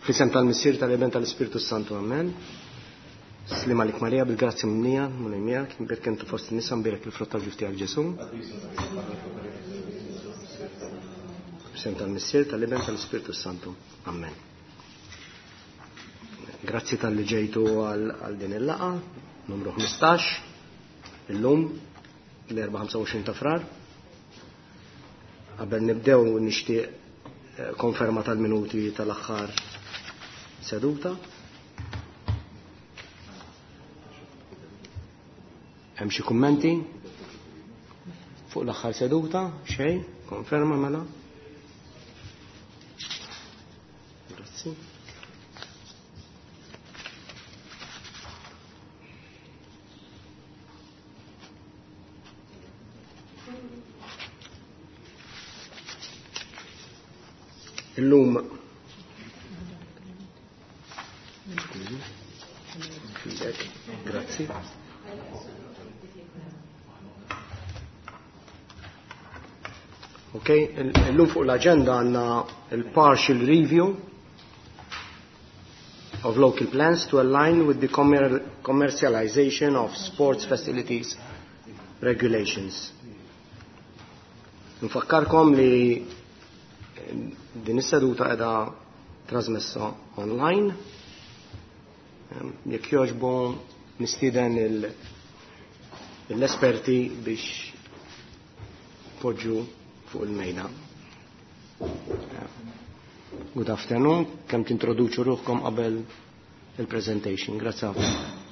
Fl-isem tal-Missier, tal-Iben, tal-Ispirtu Santu, Amen. Sliem għalik Marija, bil-grazzja mimlija, Mulej miegħek, imbierka inti fost in-nisa, mbierek il-frott tal-ġuf tiegħek Ġesù. Fl-isem tal-Missier, tal-Iben, tal-Ispirtu Santu. Amen. Grazzi tal-li ġejtu għal din il-laqa, numru 15, illum, l-24 ta' frar. Qabel nibdew nixtieq eh, konferma tal-minuti tal-aħħar seduta. Hemm xi kummenti fuq l-aħħar seduta? Xejn? Konferma mela? Grazzi. Illum Grazzi. Ok, illum fuq l-agenda għanna il-partial review of local plans to align with the commercialization of sports facilities regulations. Nfakkarkom li din is-seduta qiegħda trasmessa online. Jekk jogħġbu nistieden l-esperti biex poġġu fuq il-mejda. Good afternoon, kemm tintroduċu ruħkom qabel il-presentation. Grazie ħafna.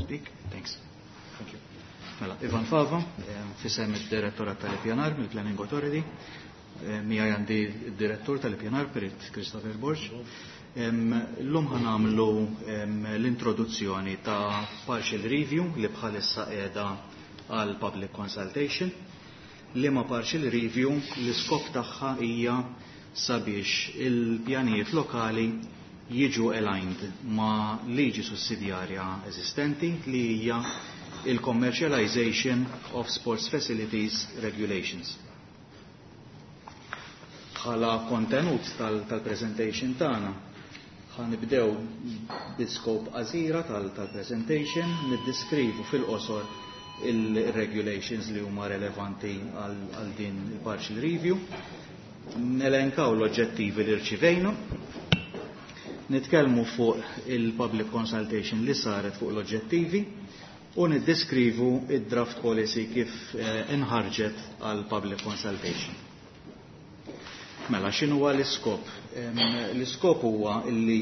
Speak. Thanks. Thank you. Mela, Ivan Fava, fisem id-direttorat tal-Ippjanar mill-Planning Authority. Miegħi għandi d-direttur tal-Ippjanar Perit Christopher Borg. Illum ħa nagħmlu l-introduzzjoni ta' partial review li bħalissa qiegħda għal public consultation. Liema partial review l-iskop tagħha hija sabiex il-pjanijiet lokali jiġu aligned ma' liġi sussidjarja eżistenti li hija il-Commercialization of Sports Facilities Regulations. Bħala kontenut tal-presentation tagħna ħa nibdew bi-scope qasira tal-presentation, niddeskrivu fil-qosor il-regulations li huma relevanti għal din il-partial review, nelenkaw l-oġġettivi li rċivejna, nitkellmu fuq il-public consultation li saret fuq l-oġġettivi u niddeskrivu id-draft policy kif inħarġet għal public consultation. Mela, x'inhu huwa l-iskop? L-iskop huwa illi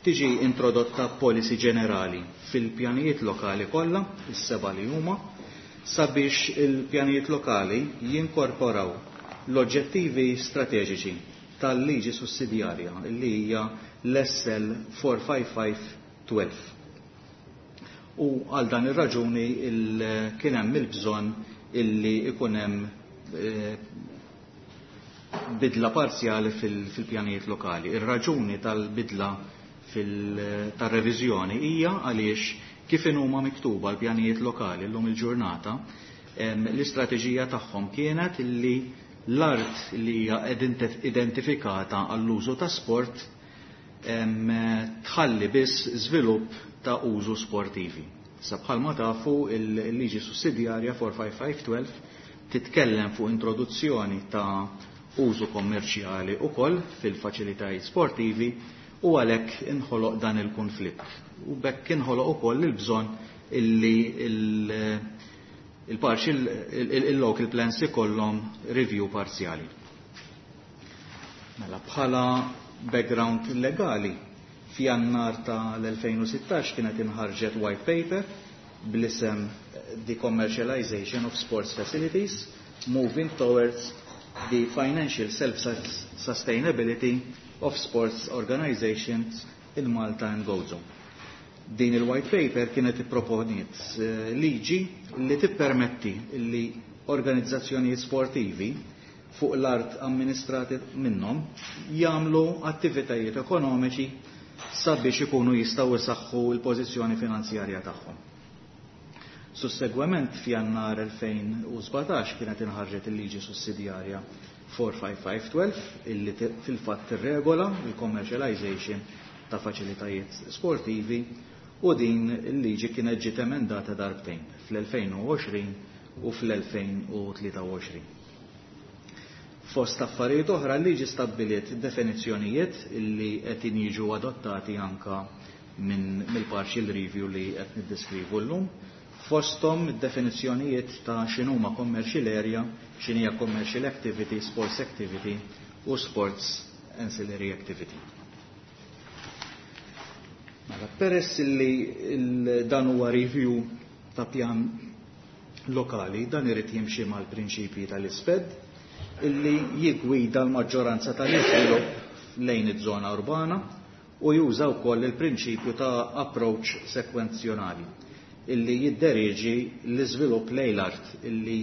tiġi introdotta policy ġenerali fil-pjanijiet lokali kollha, is-seba' li huma, sabiex il-pjanijiet lokali jinkorporaw l-oġġettivi strateġiċi tal-liġi sussidjarja li hija l-SL 455-12. U għal dan ir-raġuni kien hemm il-bżonn illi ikun hemm bidla parzjali fil-pjanijiet lokali. Ir-raġuni tal-bidla tal-reviżjoni hija għaliex kif huma miktuba l-pjanijiet lokali llum il-ġurnata, l-istrateġija tagħhom kienet illi l-art li hija identifikata għall-użu ta' sport tħalli biss żvilupp ta' użu sportivi. Sa bħalma tafu il-liġi sussidjarja 45512 titkellem fuq introduzzjoni ta' użu kommerċjali ukoll fil-faċilitajiet sportivi u għalhekk inħoloq dan il-konflitt. U bekk inħoloq ukoll il-bżonn illi il-local plans ikollhom review parzjali. Mela bħala background legali, f'Jannar tal-2016 kienet inħarġet white paper bl-isem The Commercialization of Sports Facilities, Moving Towards the Financial Self-Sustainability of Sports Organizations in Malta and Gozo. Din il-white paper kienet ipproponiet liġi li tippermetti li organizzazzjonijiet sportivi fuq l-art amministrati minnhom jagħmlu attivitajiet ekonomiċi sabiex ikunu jistgħu jsaħħu l-pożizzjoni finanzjarja tagħhom. Sussegwement f'Jannar 2017 kienet inħarġet il-liġi sussidjarja 45512 illi fil-fatt tirregola il-commercialization ta' faċilitajiet sportivi u din il-liġi kienet ġiet emendata darbtejn fl-2020 u fl-2023. Fost affarijiet oħra l-liġi stabbiliet definizzjonijiet illi qed jiġu adottati anka minn mill-partial review li qed niddeskrivu llum. Fosthom id-definizzjonijiet ta' x'inhuma commercial area, x'inhija commercial activity, sports activity u sports ancillary activity. Mela, peress li dan huwa review ta' pjan lokali, dan irid jimxi mal-prinċipji tal-ISPED illi jigwida l-maġġoranza tal-iżvilupp lejn iż-żona urbana u juża wkoll il-prinċipju ta' approach sekwenzjonali illi jidderieġi l-iżvilupp lejn l-art illi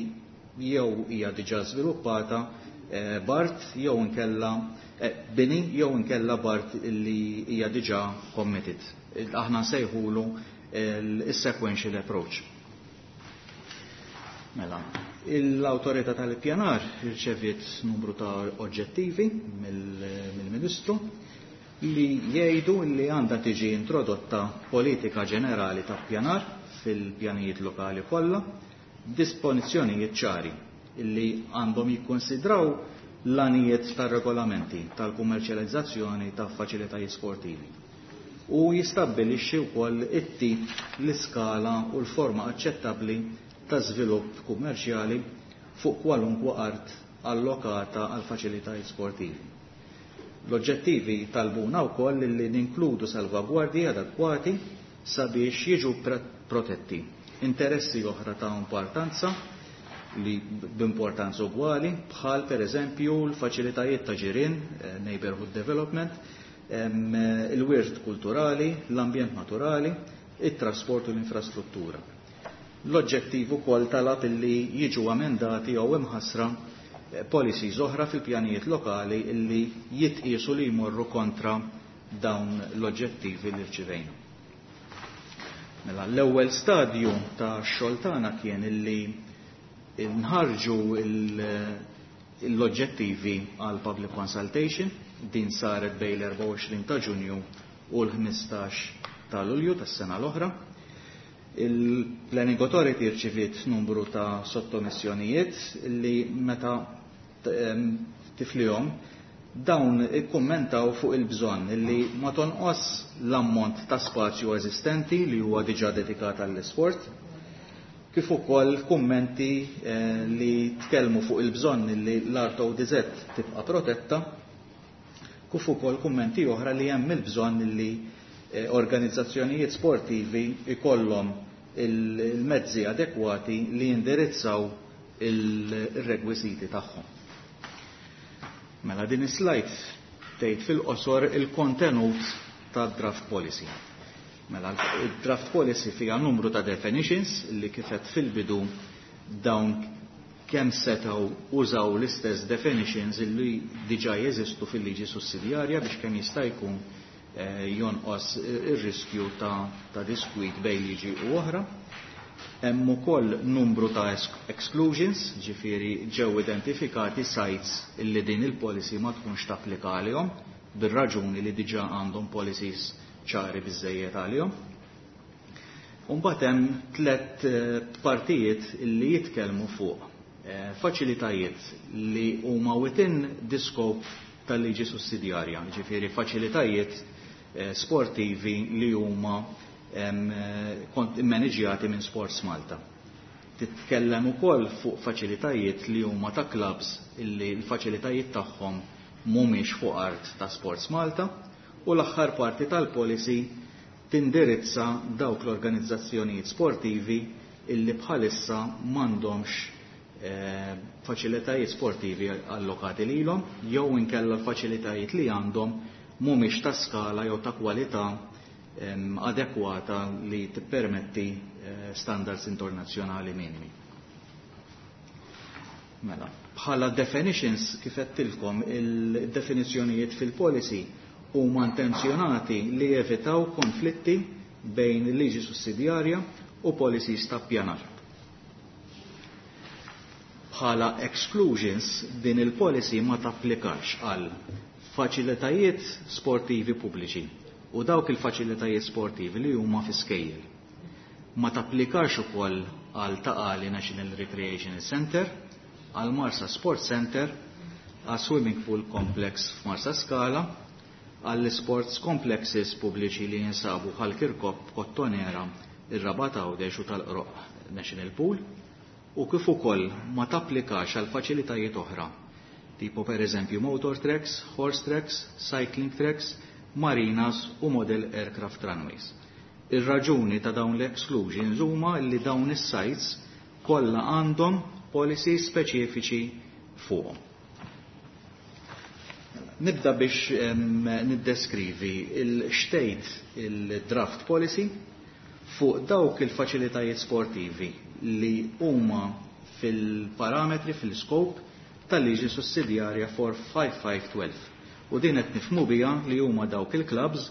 jew hija diġà żviluppata b'art jew inkella bini jew inkella b'art illi hija diġà committed. Aħna nsejħulu il-sequential approach. Mela, l-autorità tal-ippjanar irċeviet numru ta' oġġettivi mill-Ministru li jgħidu li għandha tiġi introdotta politika ġenerali ta' ppjanar fil-pjanijiet lokali kollha, dispożizzjonijiet ċari illi għandhom jikkonsidraw l-għanijiet tar-regolamenti tal-kummerċjalizzazzjoni ta' faċilitajiet sportivi u jistabbilixxi wkoll it-tip, l-iskala u l-forma aċċettabbli ta' żvilupp kummerċjali fuq kwalunkwe art allokata għal faċilitajiet sportivi. L-oġġettivi talbuna wkoll li ninkludu salvagwardji adekwati sabiex jiġu protetti interessi oħra ta' importanza li b'importanza ugwali bħal per eżempju l-faċilitajiet ta' ġirien, neighborhood development, il-wirt kulturali, l-ambjent naturali, it-trasport u l-infrastruttura. L-oġġettiv ukoll talab illi jiġu amendati jew imħassra policies oħra fil-pjanijiet lokali illi jitqiesu li jmorru kontra dawn l-oġġettivi li rċivejna. Mela, l-ewwel stadju ta' xogħol tagħna kien illi nħarġu l-oġġettivi għal public consultation, din saret bejn l-24 ta' Ġunju u l-15 ta' Lulju tas-sena l-oħra. Il-Planning Authority rċiviet numru ta' sottomissjonijiet li meta tiflihom dawn ikkummentaw fuq il-bżonn li ma tonqos l-ammont ta' spazju eżistenti li huwa diġà dedikat għall-isport, kif ukoll kummenti li tkellmu fuq il-bżonn li l-art ODZ tibqa' protetta, kif ukoll kummenti oħra li hemm il-bżonn li organizzazzjonijiet sportivi ikollhom il-mezzi adekwati li jindirizzaw il-rekwiżiti tagħhom. Mela din is-slide tgħid fil-qosor il-kontenut tad-draft policy. Mela il-draft policy fiha numru ta' definitions li kifet fil-bidu dawn kemm setgħu użaw l-istess definitions li diġà jeżistu fil-liġi sussidjarja biex kemm jista' jkun jonqos ir-riskju ta' diskwit bejn liġi u oħra. Hemm ukoll numru ta' exclusions, ġifieri ġew identifikati sites illi din il-policy ma tkunx tapplika għalihom bir-raġuni li diġà għandhom policies ċari biżejjed għalihom. Mbagħad hemm tliet partijiet illi jitkellmu fuq faċilitajiet li huma within the scope tal-liġi sussidjarja, ġifieri faċilitajiet sportivi li huma maniġjati minn Sports Malta. Titkellem ukoll fuq faċilitajiet li huma ta' clubs illi l-faċilitajiet tagħhom mhumiex fuq art ta' Sports Malta u l-aħħar parti tal-policy tindirizza dawk l-organizzazzjonijiet sportivi illi bħalissa m'għandhomx faċilitajiet sportivi allokati lilhom jew inkella l-faċilitajiet li għandhom mhumiex ta' skala jew ta' kwalità adekwata li tippermetti standards internazzjonali minimi. Mela, bħala definitions, kif għedtilkom, il-definizzjonijiet fil-policy huma intenzjonati li jevitaw konflitti bejn il-liġi sussidjarja u policies ta' ppjanar. Bħala exclusions, din il-policy ma tapplikax għal faċilitajiet sportivi pubbliċi u dawk il-faċilitajiet sportivi li huma fi skejjel. Ma tapplikax ukoll għal Ta' Qali National Recreation Center, għal Marsa Sports Center, għal Swimming Pool Complex f'Marsa Skala, għall sports complexes pubbliċi li jinsabu bħal Kirkop, Kottonera, ir-Rabat Għawdex u tal-Qroq National Pool, u kif ukoll ma tapplikax għal faċilitajiet oħra, tipo per eżempju motor tracks, horse tracks, cycling tracks, marinas u model aircraft runways. Ir-raġuni ta' dawn l-exclusions huma li dawn is-sites kollha għandhom policies speċifiċi fuqhom. Nibda biex niddeskrivi il-xtejt il-draft policy fuq dawk il-faċilitajiet sportivi li huma fil-parametri, fil-scope tal-liġi sussidjarja 45512. U din qed nifhmu biha li huma dawk il-clubs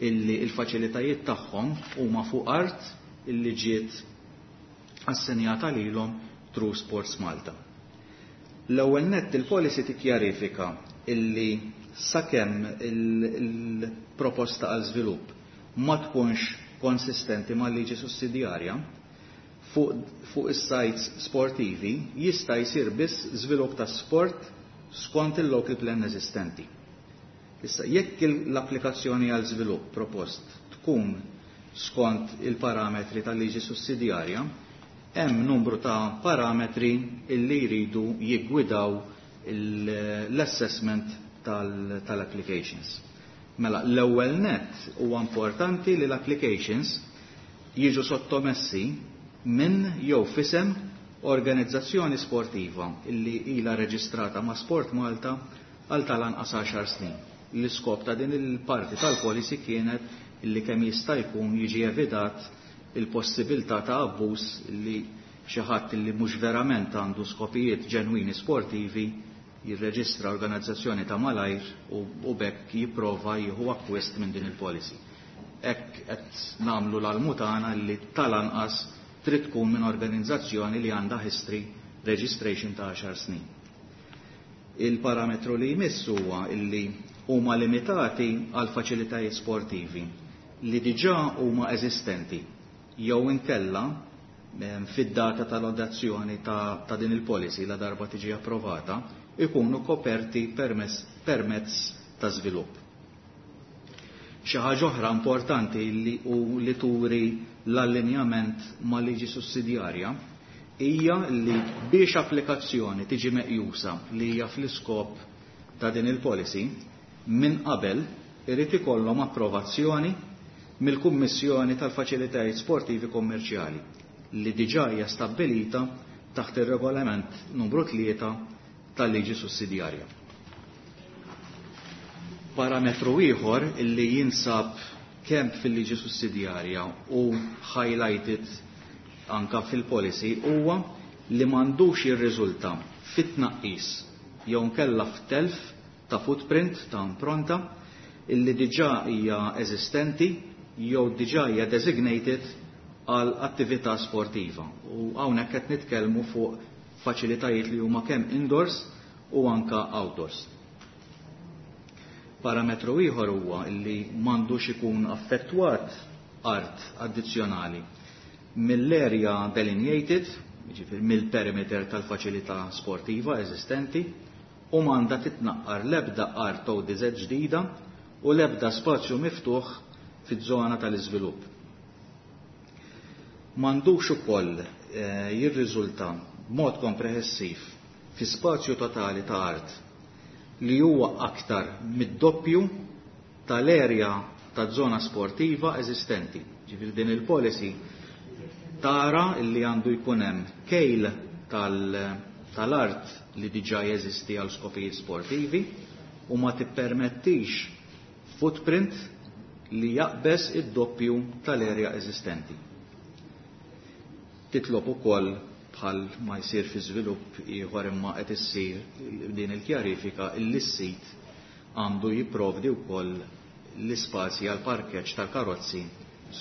illi il-faċilitajiet tagħhom huma fuq art illi ġiet assenjata lilhom through Sports Malta. L-ewwel nett, il-policy tikkjarifika illi sakemm il-proposta għal żvilupp ma tkunx konsistenti mal-liġi sussidjarja fuq is-sites sportivi, jista' jsir biss żvilupp ta' sport skont il-local plan eżistenti. Issa, jekk l-applikazzjoni għal żvilupp propost tkun skont il-parametri tal-liġi sussidjarja, hemm numru ta' parametri illi jridu jiggwidaw l-assessment tal-applications. Mela, l-ewwel net, huwa importanti li l-applications jiġu sottomessi minn jew f'isem organizzazzjoni sportiva illi ila reġistrata ma' Sport Malta għal tal-anqas 10 snin. L-iskop ta' din il-parti tal-policy kienet illi kemm jista' jkun jiġi evitat il-possibilità ta' abbuż, li xi ħadd li mhux verament għandu skopijiet ġenwini sportivi jirreġistra organizzazzjoni ta' malajr u b'hekk jipprova jieħu akkwist minn din il-policy. Hekk qed nagħmlu l-almu tagħna li tal-anqas trid tkun minn organizzazzjoni li għandha history registration ta' 10 snin. Il-parametru li jmiss huwa illi huma limitati għal faċilitajiet sportivi li diġà huma eżistenti jew inkella fid-data tal-adozzjoni ta' din il-policy, la darba tiġi approvata, ikunu koperti permezz ta' żvilupp. Xi ħaġa oħra importanti li u li turi l-allinjament ma' liġi sussidjarja hija li biex applikazzjoni tiġi meqjusa li hija fl-iskop ta' din il-policy, minn qabel irid ikollhom approvazzjoni mill-Kummissjoni tal-Faċilitajiet Sportivi Kommerċjali li diġà hija stabbilita taħt ir-regolament numru 3 tal-liġi sussidjarja. Parametru ieħor illi jinsab kemm fil-liġi sussidjarja u highlighted anka fil-policy huwa li m'għandux jirriżulta fit-tnaqqis jew nkella f'telf ta' footprint, ta' impronta, illi diġà hija eżistenti jew diġà hija designated għal attività sportiva. U hawnhekk qed nitkellmu fuq faċilitajiet li huma kemm indoors u anka outdoors. Parametru ieħor huwa li m'għandux ikun affettwat art addizzjonali mill-area delineated, jiġifieri mill-perimeter tal-faċilità sportiva eżistenti, u m'għandha titnaqqar l-ebda art ODZ ġdida u l-ebda spazju miftuħ fiż-żona tal-iżvilupp. M'għandux ukoll jirriżulta b'mod komprehensiv fi spazju totali ta' art li huwa aktar mid-doppju tal-erja ta' zona sportiva eżistenti. Ġifieri din il-policy tara li għandu jkun hemm kejl tal-art li diġà jeżisti għal skopijiet sportivi u ma tippermettix footprint li jaqbeż id-doppju tal-erja eżistenti. Titlob ukoll bħal ma jsir fi żvilupp ieħor, imma qed issir din il-kjarifika illi s-sit għandu jipprovdi wkoll l-ispazji għal parkeġġ tal-karozzi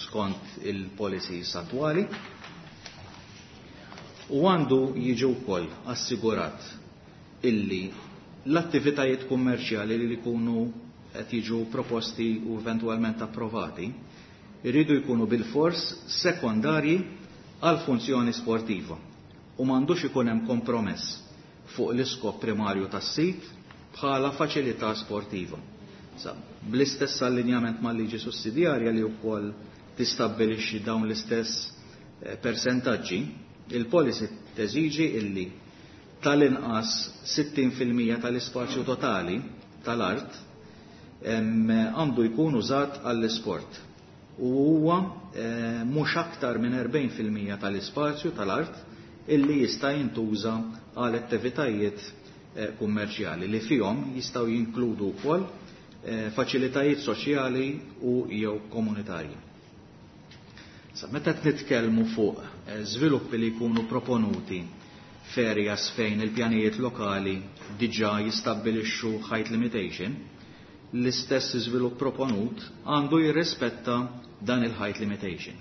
skont il-policies attwali, u għandu jiġi wkoll assigurat illi l-attivitajiet kummerċjali li jkunu qed jiġu proposti u eventwalment approvati jridu jkunu bil-fors sekondarji għal funzjoni sportiva u m'għandux ikun hemm kompromess fuq l-iskop primarju tas-sit bħala faċilità sportiva. Sa, bl-istess allinjament mal-liġi sussidjarja li wkoll tistabbilixxi dawn l-istess persentaġġi, il-policy teżiġi illi tal-inqas 60% tal-ispazju totali tal-art għandu jkun użat għall-isport u huwa mhux aktar minn 40% tal-ispazju tal-art illi jista' jintuża għal attivitajiet kummerċjali li fihom jistgħu jinkludu wkoll faċilitajiet soċjali u jew komunitarji. Sa meta qed nitkellmu fuq żviluppi li jkunu proponuti f'areas fejn il-pjanijiet lokali diġà jistabbilixxu height limitation, l-istess żvilupp proponut għandu jirrispetta dan il-height limitation.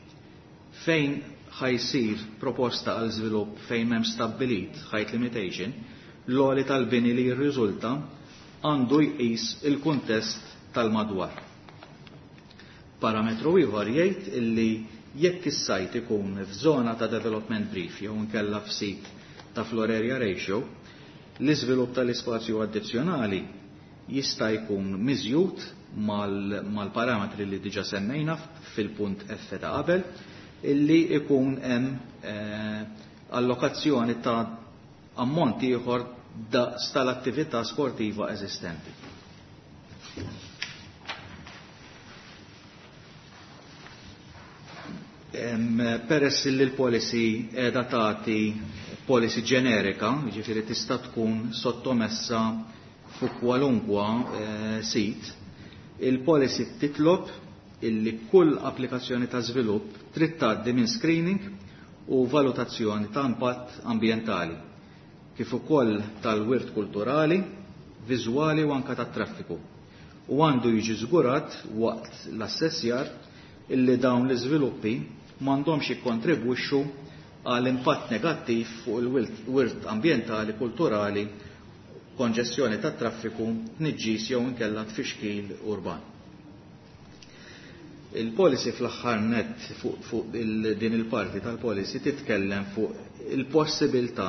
Fejn ħajsir proposta għal żvilupp fejn m'hemm stabbilit height limitation, l-għoli tal-bini li jirriżulta għandu jqis il-kuntest tal-madwar. Parametru ieħor jgħid illi jekk is-sajt ikun f'żona ta' development brief jew inkella f'sit ta' floor area ratio, l-iżvilupp tal-ispazju addizzjonali jista' jkun miżjud mal-parametri li diġa semmejna fil-punt F ta' qabel, illi ikun hemm allokazzjoni ta' ammont ieħor daqs tal-attività sportiva eżistenti. Peress li l-policy qiegħda tagħti policy ġenerika, jiġifieri tista' tkun sottomessa fuq kwalunkwa sit, il-policy titlob illi kull applikazzjoni ta' żvilupp trid tgħaddi minn screening u valutazzjoni ta' impatt ambjentali, kif ukoll tal-wirt kulturali, viżwali u anka tat-traffiku. U għandu jiġi żgurat waqt l-assessjar illi dawn l-iżviluppi m'għandhomx jikkontribwixxu għal impatt negattiv fuq il-wirt ambjentali, kulturali, konġestjoni tat-traffiku, tniġġis jew inkella tfixkil urban. Il-policy fl-aħħar nett fuq din il-parti tal-policy titkellem fuq il-possibilità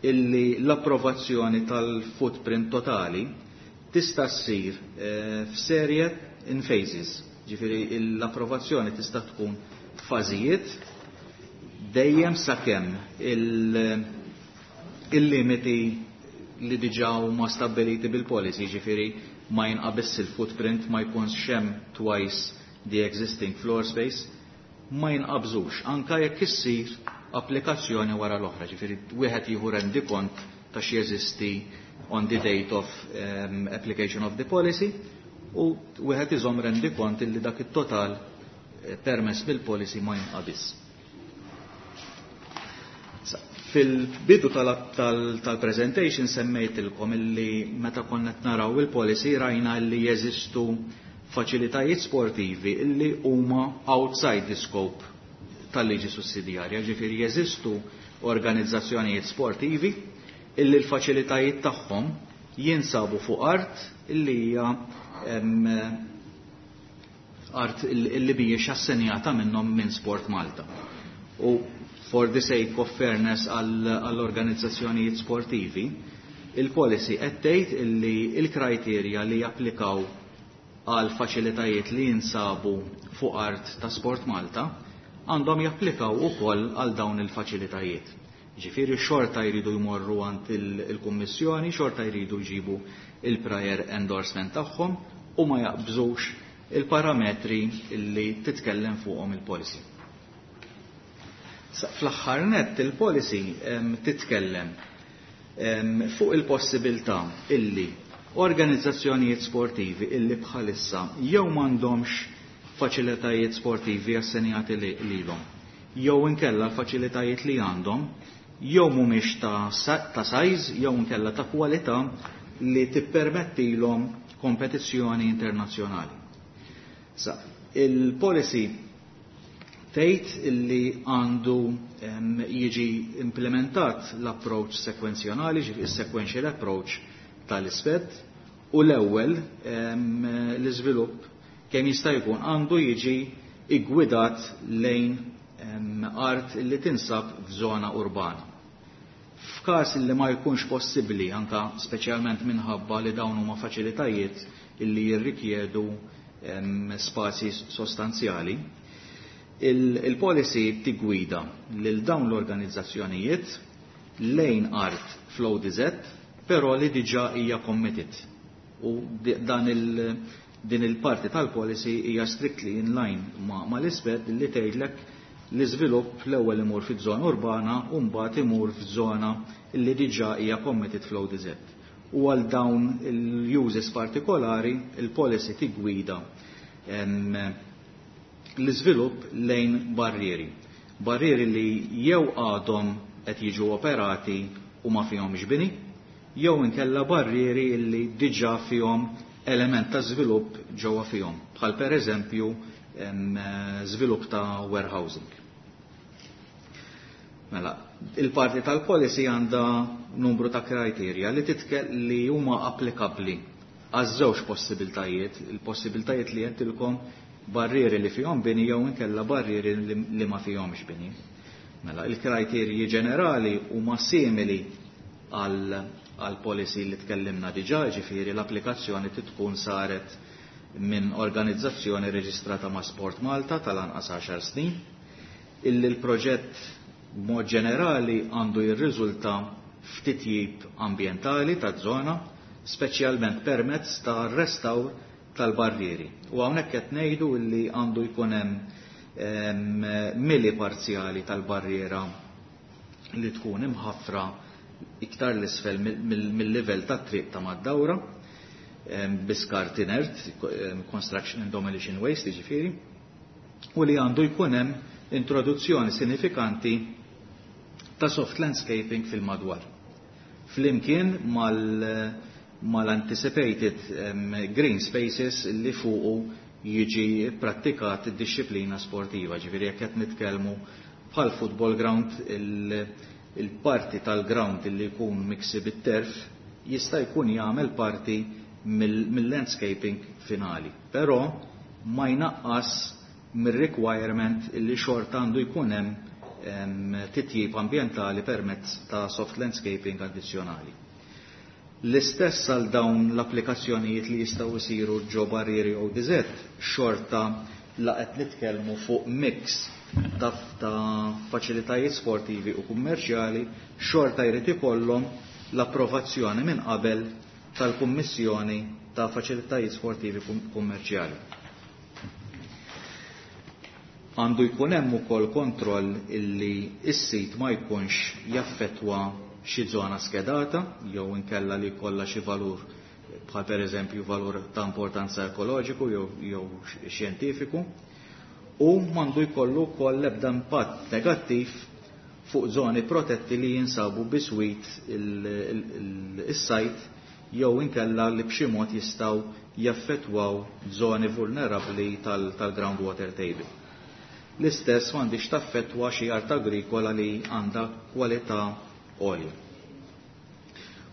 illi l-approvazzjoni tal-footprint totali tista' ssir f'serje in phases. Ġifieri l-approvazzjoni tista' tkun f'fażijiet dejjem sakemm il-limiti li diġà huma stabbiliti bil-policy, ġifieri ma jinqabiss il-footprint, ma jkunx hemm twice the existing floor space, ma jinqabżux anka jekk issir applikazzjoni wara l-oħra, ġifieri wieħed jieħu rendikont ta' x'jeżisti on the date of application of the policy u wieħed iżomm rendikont illi dak it-total permess bil-policy ma jinqabiss. Fil-bidu tal-presentation semmejtilkom illi meta konna qed naraw il-policy rajna illi jeżistu faċilitajiet sportivi illi huma outside the scope tal-liġi sussidjarja, ġifieri jeżistu organizzazzjonijiet sportivi illi l-faċilitajiet tagħhom jinsabu fuq art illi hija art illi mhijiex assenjata minnhom minn Sport Malta. U for the sake of fairness għall-organizzazzjonijiet sportivi, il-policy qed tgħid illi il-kriterja li japplikaw għal faċilitajiet li jinsabu fuq art ta' Sport Malta għandhom japplikaw ukoll għal dawn il-faċilitajiet. Ġifieri xorta jridu jmorru għand il-Kummissjoni, xorta jridu jġibu il-prior endorsement tagħhom u ma jaqbżux il-parametri li titkellem fuqhom il-policy. Fl-aħħar nett il-policy titkellem fuq il-possibilità illi organizzazzjonijiet sportivi illi bħalissa jew m'għandhomx faċilitajiet sportivi assenjati lilhom, jew inkella l-faċilitajiet li għandhom jew mhumiex ta' size jew inkella ta' kwalità li tippermettilhom kompetizzjoni internazzjonali. Sa, il-policy tgħid illi għandu jiġi implementat l-approach sekwenzjonali, ġifieri sequential approach tal-ISPED, u l-ewwel l-iżvilupp kemm jista' jkun għandu jiġi iggwidat lejn art li tinsab f'żona urbana. F'każ li ma jkunx possibbli, anka speċjalment minħabba li dawn huma faċilitajiet illi jirrikjedu spazji sostanzjali, il-policy tigwida lil dawn l-organizzazzjonijiet lejn art fl-ODZ, però li diġà hija committed. U dan din il-parti tal-policy hija strictly in line ma l-ISPED li tgħidlek l-iżvilupp l-ewwel imur fiż-żona urbana u mbagħad imur f'żona li diġà hija committed fl-ODZ. U għal dawn il-uses partikolari il-policy tigwida l-iżvilupp lejn barrieri. Barrieri li jew għadhom qed jiġu operati u ma fihomx bini, jew inkella barrieri li diġà fihom element ta' żvilupp ġewwa fihom, bħal pereżempju żvilupp ta' warehousing. Mela, il-parti tal-policy għandha numru ta' kriterja li li huma applikabbli għaż-żewġ possibiltajiet, il-possibiltajiet li għedtilkom barrieri li fihom bini jew inkella barrieri li ma fihomx bini. Mela, il-kriterji ġenerali huma simili għal policy li tkellimna diġà, ġifieri l-applikazzjoni tkun saret minn organizzazzjoni reġistrata ma' Sport Malta tal-anqas 10 snin, illi l-proġett b'mod ġenerali għandu jirriżulta f'titjib ambjentali taż-żona, speċjalment permezz ta' restawr tal-barrieri. U hawnhekk qed ngħidu illi għandu jkun hemm mili parzjali tal-barriera li tkun imħaffra iktar l-isfel mill-livell tat-triq ta' mad-dawra, biskart inert, construction and demolition waste, jiġifieri, u li għandu jkun hemm introduzzjoni sinifikanti ta' soft landscaping fil-madwar. Flimkien mal-anticipated green spaces li fuqu jiġi prattikat id-disciplina sportiva, ġifieri jekk qed nitkellmu bħal football ground, il-parti tal-ground li jkun miksi bit-terf jista' jkun jagħmel parti mill-landscaping finali, però ma jnaqqas mir-requirement li xorta għandu jkun hemm titjib ambjentali permezz ta' soft landscaping addizzjonali. L-istess għal dawn l-applikazzjonijiet li jistgħu jsiru ġo barrieri ODZ, xorta la qed nitkellmu fuq mix ta' faċilitajiet sportivi u kummerċjali, xorta jrid ikollhom l-approvazzjoni minn qabel tal-Kummissjoni ta' Faċilitajiet Sportivi Kummerċjali. Għandu jkun hemm ukoll kontroll illi s-sit ma jkunx jaffettwa xi żona skedata jew inkella li jkollha xi valur bħal pereżempju valur ta' importanza ekoloġiku jew xjentifiku, u m'għandu jkollu wkoll l-ebda impatt negattiv fuq żoni protetti li jinsabu biswit is-sajt jew inkella li b'xi mod jistgħu jaffettwaw żoni vulnerabbli tal-groundwater table. L-istess m'għandix taffettwa xi art agrikola li għandha kwalità għolja.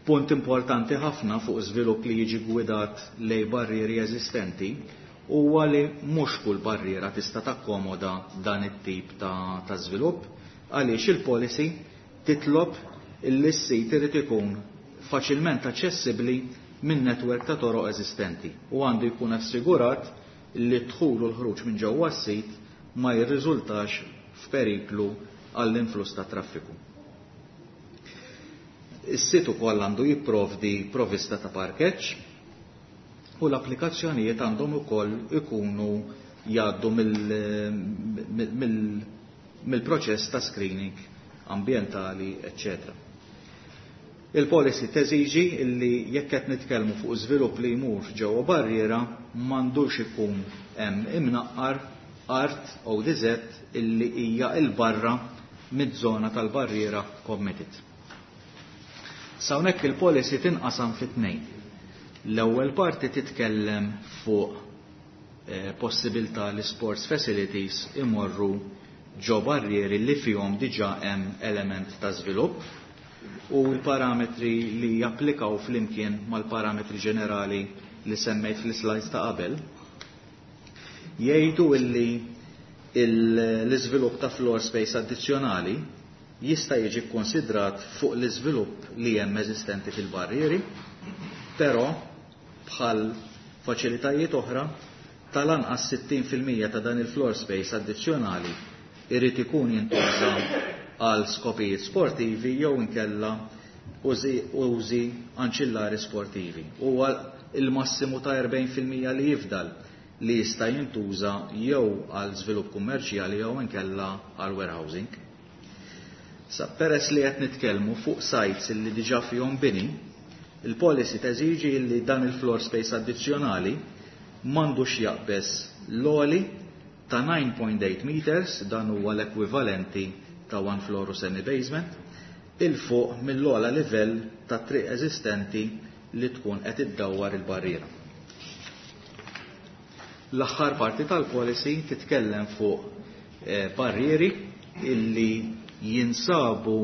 Punt importanti ħafna fuq żvilupp li jiġi gwidat lej barrieri eżistenti huwa li mhux kull barriera tista' takkomoda dan it-tip ta' żvilupp, għaliex il-policy titlob illi s-sit irid ikun faċilment aċċessibbli minn netwerk ta' toroq eżistenti u għandu jkun assigurat li d-dħul u l-ħruġ minn ġewwa s-sit ma jirriżultax f'periklu għall-influss ta' traffiku. Is-sit ukoll għandu jipprovdi provvista ta' parkeġġ u l-applikazzjonijiet għandhom ukoll ikunu jgħaddu mill-proċess ta' screening ambjentali, eccetera. Il-policy teżiġi illi jekk qed nitkellmu fuq żvilupp li jmur ġewwa barriera m'għandux ikun hemm imnaqqar art ODZ illi hija il barra mid-żona tal-barriera committed. S'hawnhekk il-policy tinqasam fi tnejn. L-ewwel parti titkellem fuq possibilità li sports facilities imorru ġo barrieri li fihom diġà hemm element ta' żvilupp u l-parametri li japplikaw flimkien mal-parametri ġenerali li semmejt fl-slides ta' qabel jgħidu illi l-iżvilupp ta' floor space addizzjonali jista' jiġi kkonsidrat fuq l-iżvilupp li hemm eżistenti fil-barrieri, però bħal faċilitajiet oħra tal-anqas 60% ta' dan il-floor space addizzjonali irid ikun jintuża għal skopijiet sportivi jew inkella użi anċillari sportivi. U il-massimu ta' 40% li jifdal li jista' jintuża jew għal żvilupp kummerċjali jew inkella għal warehousing. Sa peress li qed nitkellmu fuq sites li diġà fihom bini, il-policy teżiġi li dan il-floor space addizzjonali m'għandux jaqbeż l-għoli ta' 9.8 meters, dan huwa l-ekwivalenti ta' one floor u semi basement, 'il fuq mill-ogħla livell ta' triq eżistenti li tkun qed iddawwar il-barriera. L-aħħar parti tal-policy titkellem fuq barrieri illi jinsabu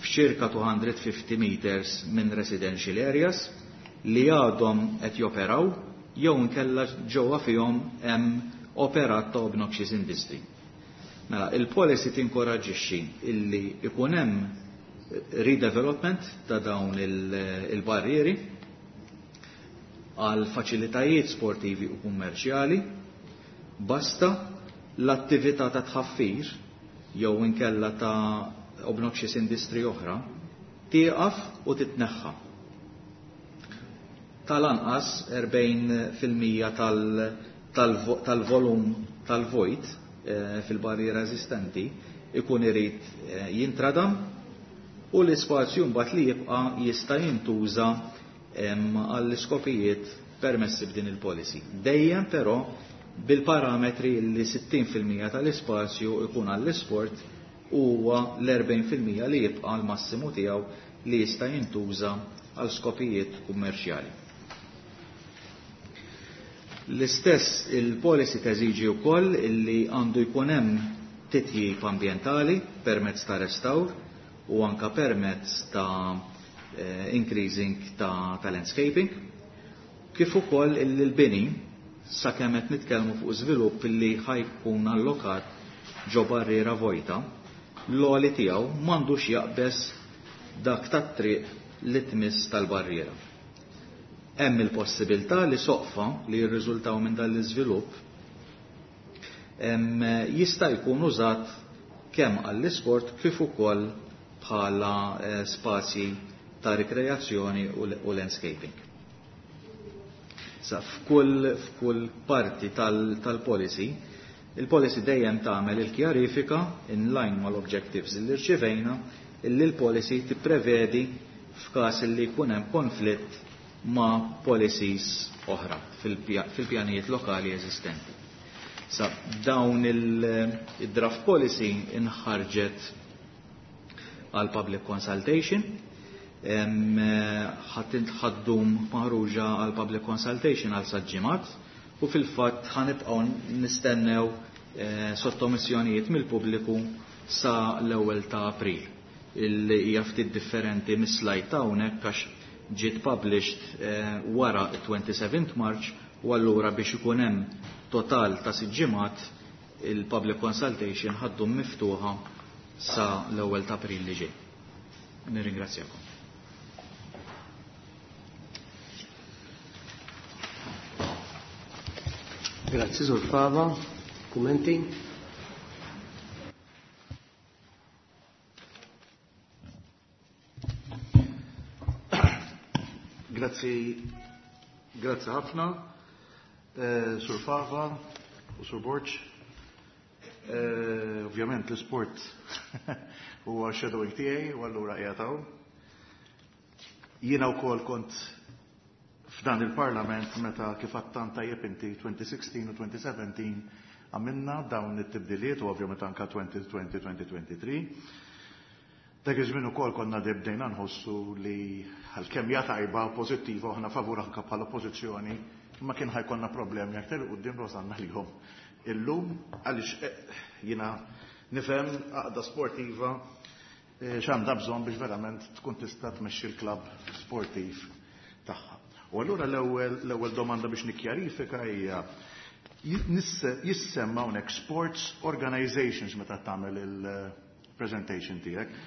f'ċirka 250 meters minn residential areas li għadhom qed joperaw jew inkella ġewwa fihom hemm operat ta' obnoxious industry. Mela, il-policy tinkoraġixxi illi ikun hemm redevelopment ta' dawn il-barrieri għal faċilitajiet sportivi u kummerċjali, basta l-attività ta' tħaffir jew inkella ta' obnoxious industry oħra tieqaf u titneħħa. Tal-anqas 40% tal-volum tal-vojt fil-barriera eżistenti ikun irid jintradam u l-ispazju mbagħad li jibqa' jista' jintuża għall-iskopijiet permessi b'din il-policy. Dejjem però bil-parametri li 60% tal-ispazju ikun għall-isport huwa l-40% li jibqa' l-massimu tiegħu li jista' jintuża għal skopijiet kummerċjali. L-istess il-policy teżiġi wkoll illi għandu jkun hemm titjib ambjentali permezz ta' restawr u anka permezz ta' increasing ta' landscaping, kif ukoll illi l-bini sakemm qed nitkellmu fuq żvilupp illi ħajkun allokat ġo barriera vojta, l-għoli tiegħu m'għandux jaqbeż dak tat-triq li tmiss tal-barriera. Hemm il-possibilità li soqfa li jirriżultaw minn dan l-iżvilupp jista' jkun użat kemm għall-isport kif ukoll bħala spazji ta' rikreazzjoni u landscaping. Sa f'kull parti tal-policy, il-policy dejjem tagħmel il-kjarifika in line mal-objectives li rċivejna illi l-policy tipprevedi f'każ li jkun hemm konflitt ma' policies oħra fil-pjanijiet lokali eżistenti. Sa dawn il-draft policy inħarġet għal public consultation, ħaddum maħruġa għal public consultation għal sitt ġimgħat u fil-fatt ħanibqgħu nistennew sottomissjonijiet mill-pubbliku sa l-ewwel ta' April. Illi hija ftit differenti mis-slide ta' hawnhekk għax ġiet published wara 27 March u allura biex ikun hemm total ta' sitt ġimgħat il-public consultation ħaddum miftuħa sa l-ewwel ta' April li ġej. Nirringrazzjakom. Grazzi, Sur Fava. Kummenti? Grazzi, grazzi ħafna, Sur Fava u Sur Borg. Ovvjament l-sport huwa shadowing tiegħi u allura qiegħed hawn. Jiena wkoll kont f'dan il-Parlament meta kif għattan tajjeb inti 2016 u 2017. għamilna dawn it-tibdiliet u ovvjament anka 2020-2023. Dak iż-żmien ukoll konna bdejna nħossu li għalkemm hija tajba pożittiva u aħna favur anke bħala oppożizzjoni, imma kien ħa jkollna problemi aktar 'il quddiem li wasalna lihom illum għaliex jiena nifhem għaqda sportiva x'għandha bżonn biex verament tkun tista' tmexxi l-klabb sportiv tagħha. U allura l-ewwel domanda biex nikkjarifika hija jissemma hawnhekk sports organizations meta tagħmel il-presentation tiegħek.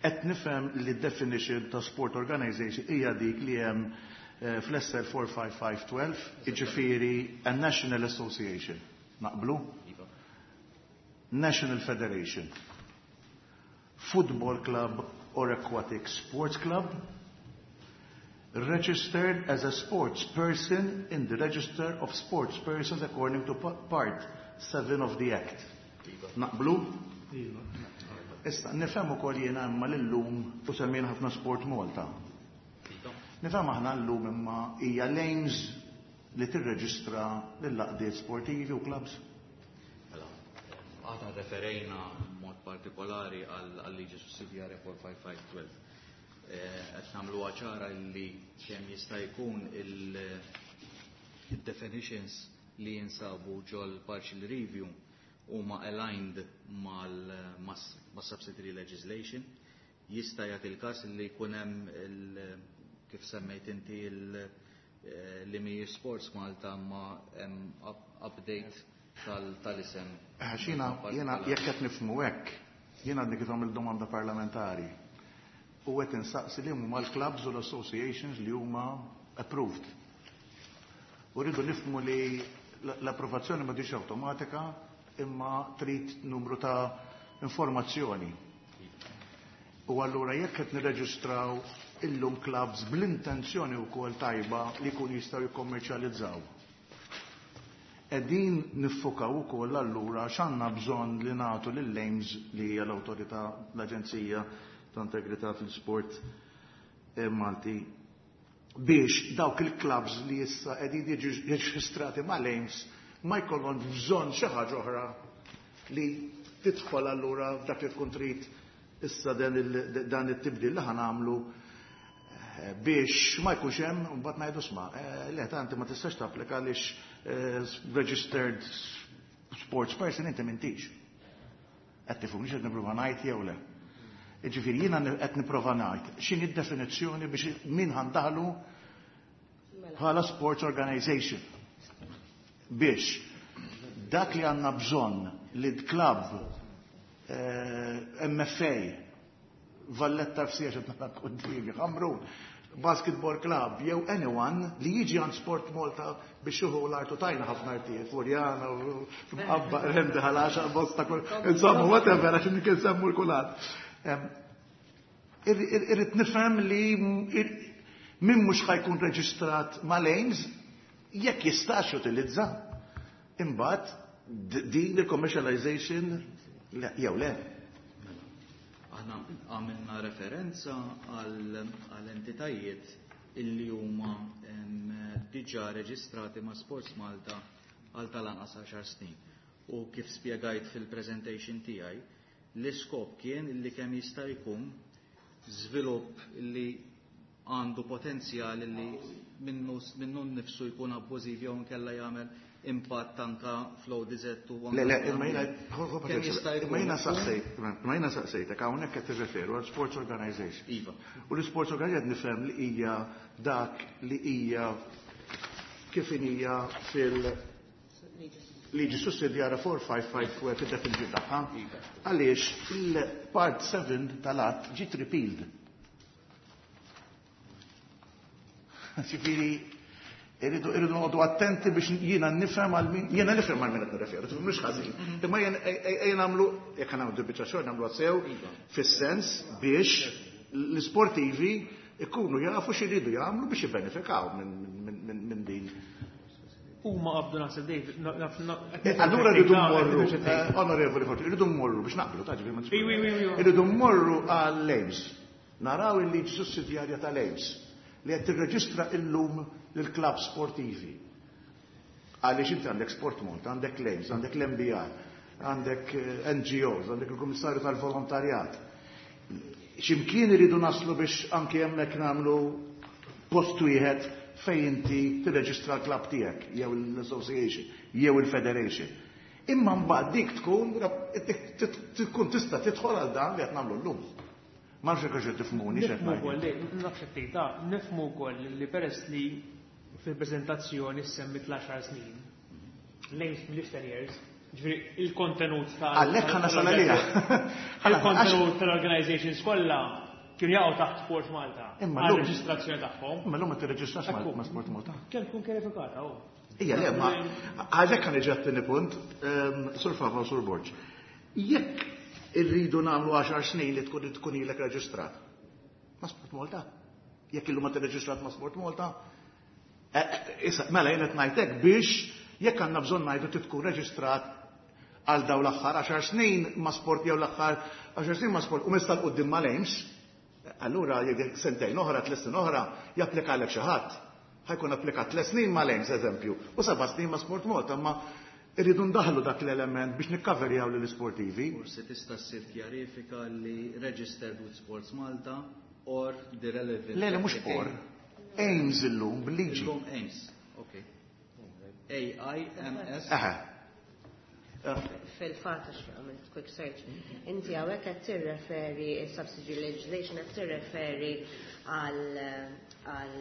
Qed nifhem li definition ta' sport organization hija dik li hemm fl-SL 45512, jiġifieri a National Association. Naqblu? Iva. National Federation. Football Club or Aquatic Sports Club, registered as a sports person in the Register of Sports Persons according to Part 7 of the Act. Iva. Naqblu? Iva. Issa, nifhem ukoll jiena imma l-lum u semmejna ħafna Sport Malta. Iva. Nifhem aħna llum imma hija l-AIMS li tirreġistra lill-għaqdiet sportivi u clubs. Mela, aħna referejna mod partikolari għal-liġi sussidjarja 45512. Qed nagħmluha ċara li kemm jista' jkun il-definitions li jinsabu ġol partial review huma aligned mal-subsidiary legislation. Jista' jagħti l-każ li jkun hemm kif semmejt inti li mhijiex Sports Malta ma hemm update tal-isem. Għax jiena jekk qed nifhmu hekk, jiena għadni kif għamilt domanda parlamentari. U qed insaqsi li huma l-clubs u l-associations li huma approved. U rridu nifhmu li l-approvazzjoni ma tiġix awtomatika imma trid numru ta' informazzjoni. U allura jekk qed nirreġistraw illum clubs bl-intenzjoni wkoll tajba li jkun jistgħu jikkommerċjalizzaw. Qegħdin niffukaw ukoll allura x'għandna bżonn li nagħtu lill-AIMS li hija l-awtorità l-Aġenzija ta' Integrità fil-Sport Malti biex dawk il-clubs li issa qegħdin jiġu reġistrati mal-AIMS ma jkollhom bżonn xi ħaġa oħra li tidħol allura f'dak li tkun trid issa dan it-tibdil li ħanamlu biex ma jkunx hemm u mbagħad ngħidu sma' le tanti ma tistax tapplika għaliex registered sports person inti m'intix. Qed tifhimni x'qed nipprova ngħid jew le. Jiġifieri jiena qed nipprova ngħid x'inhi d-definizzjoni biex min ħandaħlu bħala sports organization biex dak li għandna bżonn li d-club MFA Valletta FC għax qed nara qudiemi, Ħamrun, Basketball Club, jew anyone li jiġi għand Sport Malta biex juhu l-artu tajna ħafna artijiet, Furjana, Mqabba, Rendi, Ħalaxa, Bosta, insomma, whatever, għax kien semmu l-kulħadd. Irrid nifhem li min mhux ħa jkun reġistrat mal-AIMS jekk jistax jutilizza imbagħad din il-commercialization jew le. Aħna għamilna referenza għal entitajiet illi huma diġà reġistrati ma' Sports Malta għal tal-anqas 10 snin. U kif spjegajt fil-presentation tiegħi, l-iskop kien illi kemm jista' jkun żvilupp illi għandu potenzjal illi minnu nnifsu jkun abbużiv jew inkella jagħmel impatt anka fl-ODZ u anka Le, le, imma jiena, Kemm jista' jkun imma jiena saqsejt, imma jiena saqsejtek hawnhekk qed tirreferu għal sports organization. Iva. U l-sports organization nifhem li hija dak li hija kif hija fil-liġi sussidjarja 455 fid-definizzjoni tagħha. Għaliex il-part 7 tal-att ġiet repealed. Ġifieri irridu noqogħdu attenti biex jiena nifhem għal min, jiena nifhem għal min qed nirreferu, mhux ħażin. Imma jien nagħmlu, jekk nagħmlu biċċa xogħol nagħmlu sew fis-sens biex l-isportivi ikunu jafu x'iridu jagħmlu biex jibbenefikaw minn din. Huma qabdu naħseb David, Allura rridu mmorru, onorevoli Forti, rridu mmorru biex naqblu, ta' ġifieri ma Wi, wi, wi, wi. Irridu mmorru għall-AIMS. Naraw il-liġi sussidjarja tal-AIMS li qed tirreġistra illum lill-klabb sportivi. Għaliex inti għandek Sport Malta, għandek l-AIMS, għandek l-MBR, għandek NGOs, għandek il-Kummissarju tal-Volontarjat. X'imkien iridu naslu biex anke hemmhekk nagħmlu post wieħed fejn inti tirreġistra l-klabb tiegħek jew l-association jew il-federation. Imma mbagħad dik tkun tista' tidħol għal dan li qed nagħmlu llum. Ma nafx hekk qed tifhmuni x'qed Nifhmu ngħid. wkoll, nafx qed tgħid, nifhmu wkoll li peress li fil-preżentazzjoni semmit l-10 snin, l-AIMS mill 10 years, ġifieri il-kontenut tal- Għalhekk ħa nasal għalija. Il-kontenut tal-organizations kollha kienu jaqgħu taħt Sport Malta. Imma għal llum- reġistrazzjoni tagħhom. Imma llum ma tirreġistrax Ekku. ma' Sport Malta. Kemm tkun kjarifikata, oh. Ija, le, ma għalhekk ħa niġi għat-tieni punt, Sur Fava u Sur Borg. Jekk irridu nagħmlu 10 snin li tkun ilek reġistrat ma' Sport Malta. Jekk illum ma tirreġistrat ma' Sport Malta, issa, mela jien qed ngħidlek biex jekk għandna bżonn ngħidu trid tkun reġistrat għal daw l-aħħar 10 snin ma' sport jew l-aħħar 10 snin ma' sport u mista 'l quddiem ma' l-AIMS, allura jekk sentejn oħra, 3 snin oħra, japplikalek xi ħadd. Ħa jkun applikat 3 snin ma' l-AIMS, eżempju, u 7 snin ma' Sport Malta, ma irridu ndaħlu dak l-element biex nikkaverjaw lill-isportivi. Forsi tista' ssir kjarifika li registered with Sports Malta or the relevant Le, mhux or. AIMS illum bil-liġi. Illum AIMS, ok. A-I-M-S. Aha. Fil-fatt għax għamilt quick search, inti hawnhekk qed tirreferi subsidiary legislation qed tirreferi għal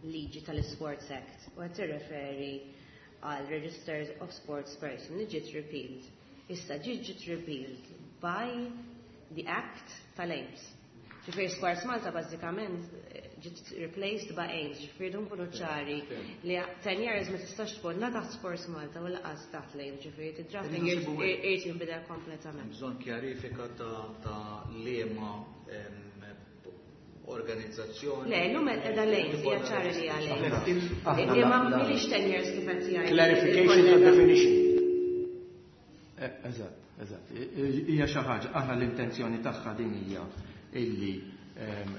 liġi tal-Sports Act u qed tirreferi għal Registers of Sports Person li ġiet repealed. Issa ġiet repealed by the Act tal-AIMS. Ġifieri Sports Malta bażikament ġiet replaced by AIMS, ġifieri dun kunu ċari li 10 years ma tistax tkun la taħt Sports Malta u lanqas taħt l-AIMS, ġifieri id-drafting irid jinbidel kompletament. Bżonn kjarifika ta' liema organizzazzjoni. Le, llum qiegħda l-AIMS, hija ċara li hija l-AIMS. Imma mhix 10 years kif qed jgħid. Clarification ta' definition. Eżatt. Hija xi ħaġa, aħna l-intenzjoni tagħha din hija illi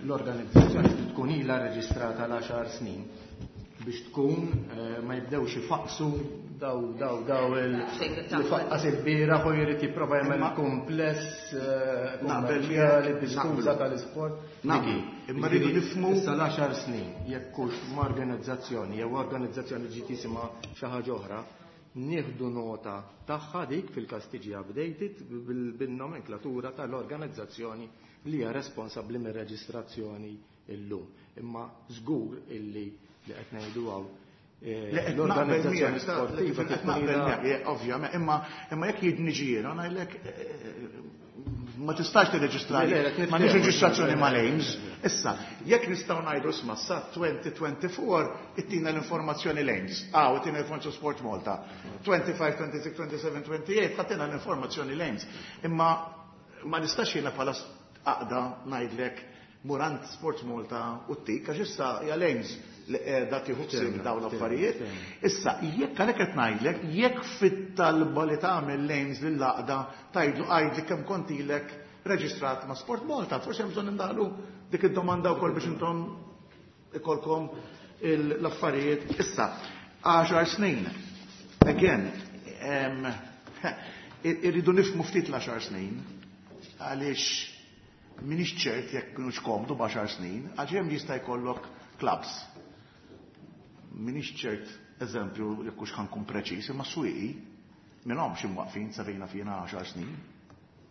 l-organizzazzjoni tkun ilha reġistrata l-10 snin biex tkun ma jibdewx ifaqsu daw il faqqas il-bieraħ u jrid jipprova jagħmel kumpless Naqbel kummerċjali miegħek, bi skuża naqblu. tal-isport. Naqblu. Diki, Imma rridu jiġifieri, nifhmu- issa l-10 snin jekk hux ma' organizzazzjoni jew organizzazzjoni ġiet jisimha xi ħaġa oħra, nieħdu nota tagħha dik fil-każ tiġi updated bin-nomenklatura tal-organizzazzjoni li hija responsabbli mir-reġistrazzjoni illum. Imma żgur illi li qed ngħidu hawn Le, qed naqbel l-organizzazzjoni miegħek, sportiva qed tkun naqbel ilha miegħek, ovvjament, imma jekk jien niġi jiena ngħidlek ma tistax tirreġistrali, Le, le, qed ma nix nitkellem. reġistrazzjoni mal-AIMS. Issa, jekk nistgħu ngħidu isma' sa 2024 ittina l-informazzjoni l-AIMS. Ah, u ittina l-informazzjoni Sport Malta. 25, 26, 27, 28 ħatina l-informazzjoni l-AIMS. Imma ma nistax jiena bħala għaqda ngħidlek mur għand Sports Malta u t-tik, għax issa hija l-AIMS li qiegħda tieħu ħsieb dawn l-affarijiet. Issa, jekk għalhekk qed ngħidlek, jekk fit-talba li tagħmel l-AIMS lill-għaqda tgħidlu għajdli kemm kont ilek reġistrat ma' Sport Malta, forsi hemm bżonn indaħlu dik id-domanda wkoll biex intom ikolkom l-affarijiet. Issa, 10 snin. Again, irridu nifhmu ftit l-10 snin, għaliex minix ċert jekk kienux komdu b'għaxar snin, għax hemm jista' jkollok clubs. Minix ċert, eżempju, jekk hux ħa nkun preċiż, imma Swieqi minnhom xi mwaqfin savejna fina 10 snin,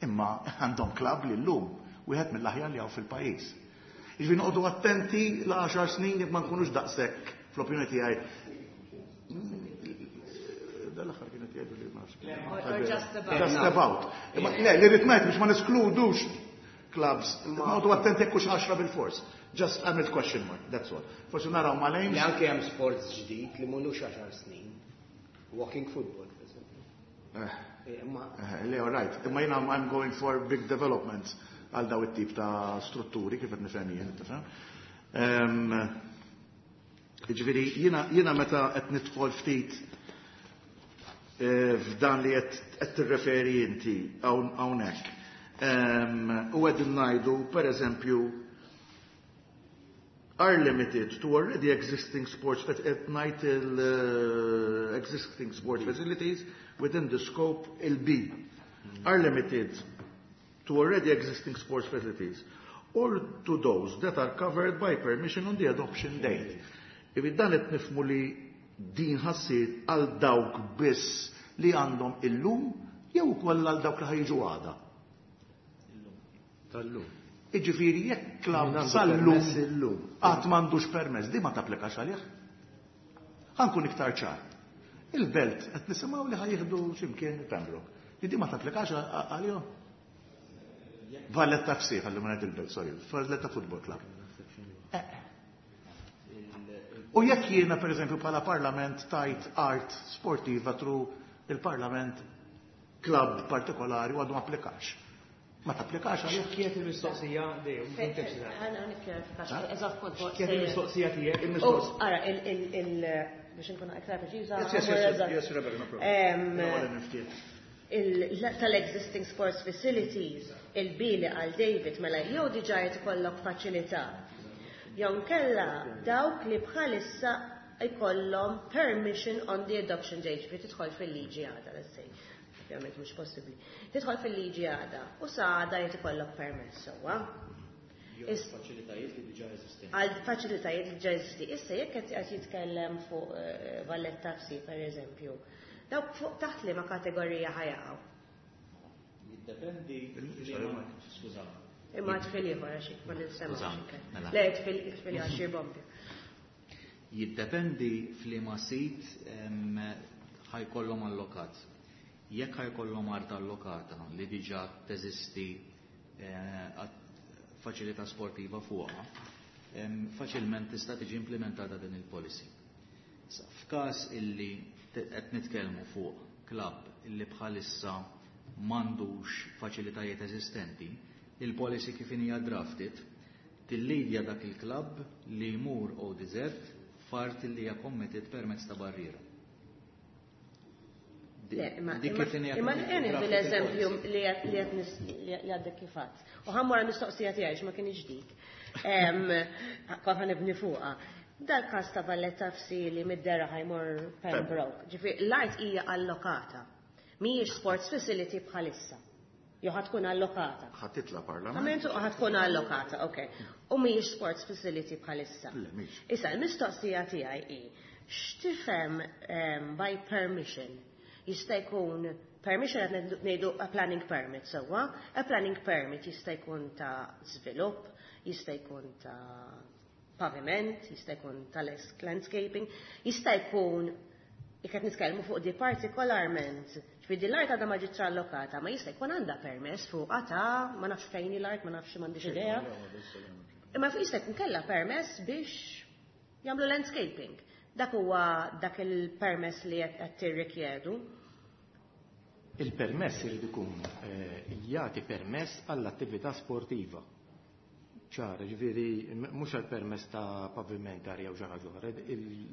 imma għandhom club li llum wieħed mill-aħjar li hawn fil-pajjiż. Jiġifieri noqogħdu attenti l-10 snin jekk ma nkunux daqshekk fl-opinjoni tiegħi. Dal-aħħar kienet jgħidu li ma nafx. Or just about. Just about. Imma le, li rrid ngħid biex ma neskludux clubs. Noqogħdu attenti jekk hux 10 bil-fors. Just għamilt question mark, that's all. Forsi naraw ma Li l anke hemm sports ġdid li m'ilux 10 snin. Walking football, per esempio. Imma Le, all right. Imma jiena I'm going for big developments għal daw it-tip ta' strutturi kif qed nifhem jien, tifhem. Jiġifieri jiena meta qed nidħol ftit f'dan li qed tirreferi inti hawnhekk. U qegħdin ngħidu, pereżempju, Are limited to already existing sports at night existing sports facilities within the scope il-B are limited to already existing sports facilities or to those that are covered by permission on the adoption date. Ivi dan qed nifhmu li din ħa ssir għal dawk biss li għandhom illum jew ukoll għal dawk li ħa jiġu għada. Tal-lum. Iġifieri jekk klabb Min għandu sal-lum permess illum. qatt m'għandux permess, di ma tapplikax għalih. Ħa nkun iktar ċar. Il-Belt qed nisimgħu li ħa jieħdu x'imkien Pembroke. Li di ma tapplikax għalihom. Valletta FC, ħalli ma ngħid il-Belt, sorry, Valletta Football Club. U jekk jiena pereżempju bħala Parlament tajt art sportiva through il-Parlament club partikolari u għadu ma applikax. Ma tapplikax għalih? Kienet il-mistoqsija dejjem, mhux intibx dan. Ħana nikkjarifika, eżatt kont Kienet il-mistoqsija tiegħek? Oh, ara, il biex nkun aktar preċiża. Yes, Rebecca, no problem. Tal-existing sports facilities, il-bili għal David mela jew diġà qed ikollok faċilità. Jew kella dawk li bħalissa jkollhom permission on the adoption date, ġifieri tidħol fil-liġi għada, let's say. Ovvjament mhux possibbli. Tidħol fil-liġi għada u sa għada jrid ikollok permess sewwa. Faċilitajiet li diġà eżistenti. Għal faċilitajiet li diġà eżisti. Issa jekk qed jitkellem fuq Valletta FC pereżempju, dawk fuq taħt liema kategorija ħa jaqgħu? Jiddependi skuża. Imma tfil ieħor għax ma ninsemax. Skuża, mela. Le, tfil għax xi bombi. Jiddependi f'liema sit ħa jkollhom allokat. Jekk ħa jkollhom art allokata li diġà teżisti faċilità sportiva fuqha, faċilment tista' tiġi implementata din il-policy. F'każ illi qed nitkellmu fuq klabb illi bħalissa m'għandux faċilitajiet eżistenti, il-policy kif hija drafted tillidja dak il-klabb li jmur ODZ f'art li hija committed permezz ta' barriera. Le, Dik kif hija imma committed jien drafted l-eżempju il-policy. li għaddek kif għadt. U ħa mmur mistoqsija tiegħi ma kienx dik. Kont ħa nibni fuqha. Dal-każ ta' Valletta FC li mid-dera ħa jmur Pembroke. Ġifieri l-art hija allokata. Mhijiex sports facility bħalissa. Jew ħa tkun allokata. Ħa titla' Parlament. Għamentu ħa tkun allokata, ok. U mhijiex sports facility bħalissa. Le, mhix. Issa, il-mistoqsija tiegħi hi, x'tifhem by permission? Jista' jkun permission qed ngħidu a planning permit sewwa, a planning permit jista' jkun ta' żvilupp, jista' jkun ta' paviment, jista' jkun ta' landscaping, jista' jkun jekk qed nitkellmu fuq di partikolarment, ġifieri din l-art għadha ma ġietx allokata, ma jista' jkun għandha permess fuqha ta' ma nafx fejn hi l-art, ma nafx m'għandix idea. Imma fuq jista' jkun kellha permess biex jagħmlu landscaping. Dak huwa dak il-permess li qed tirrikjedu. Il-permess irid ikun jagħti permess għall-attività sportiva. Ċar, ġifieri mhux għall-permess ta' pavimentari jew xi ħaġa oħra,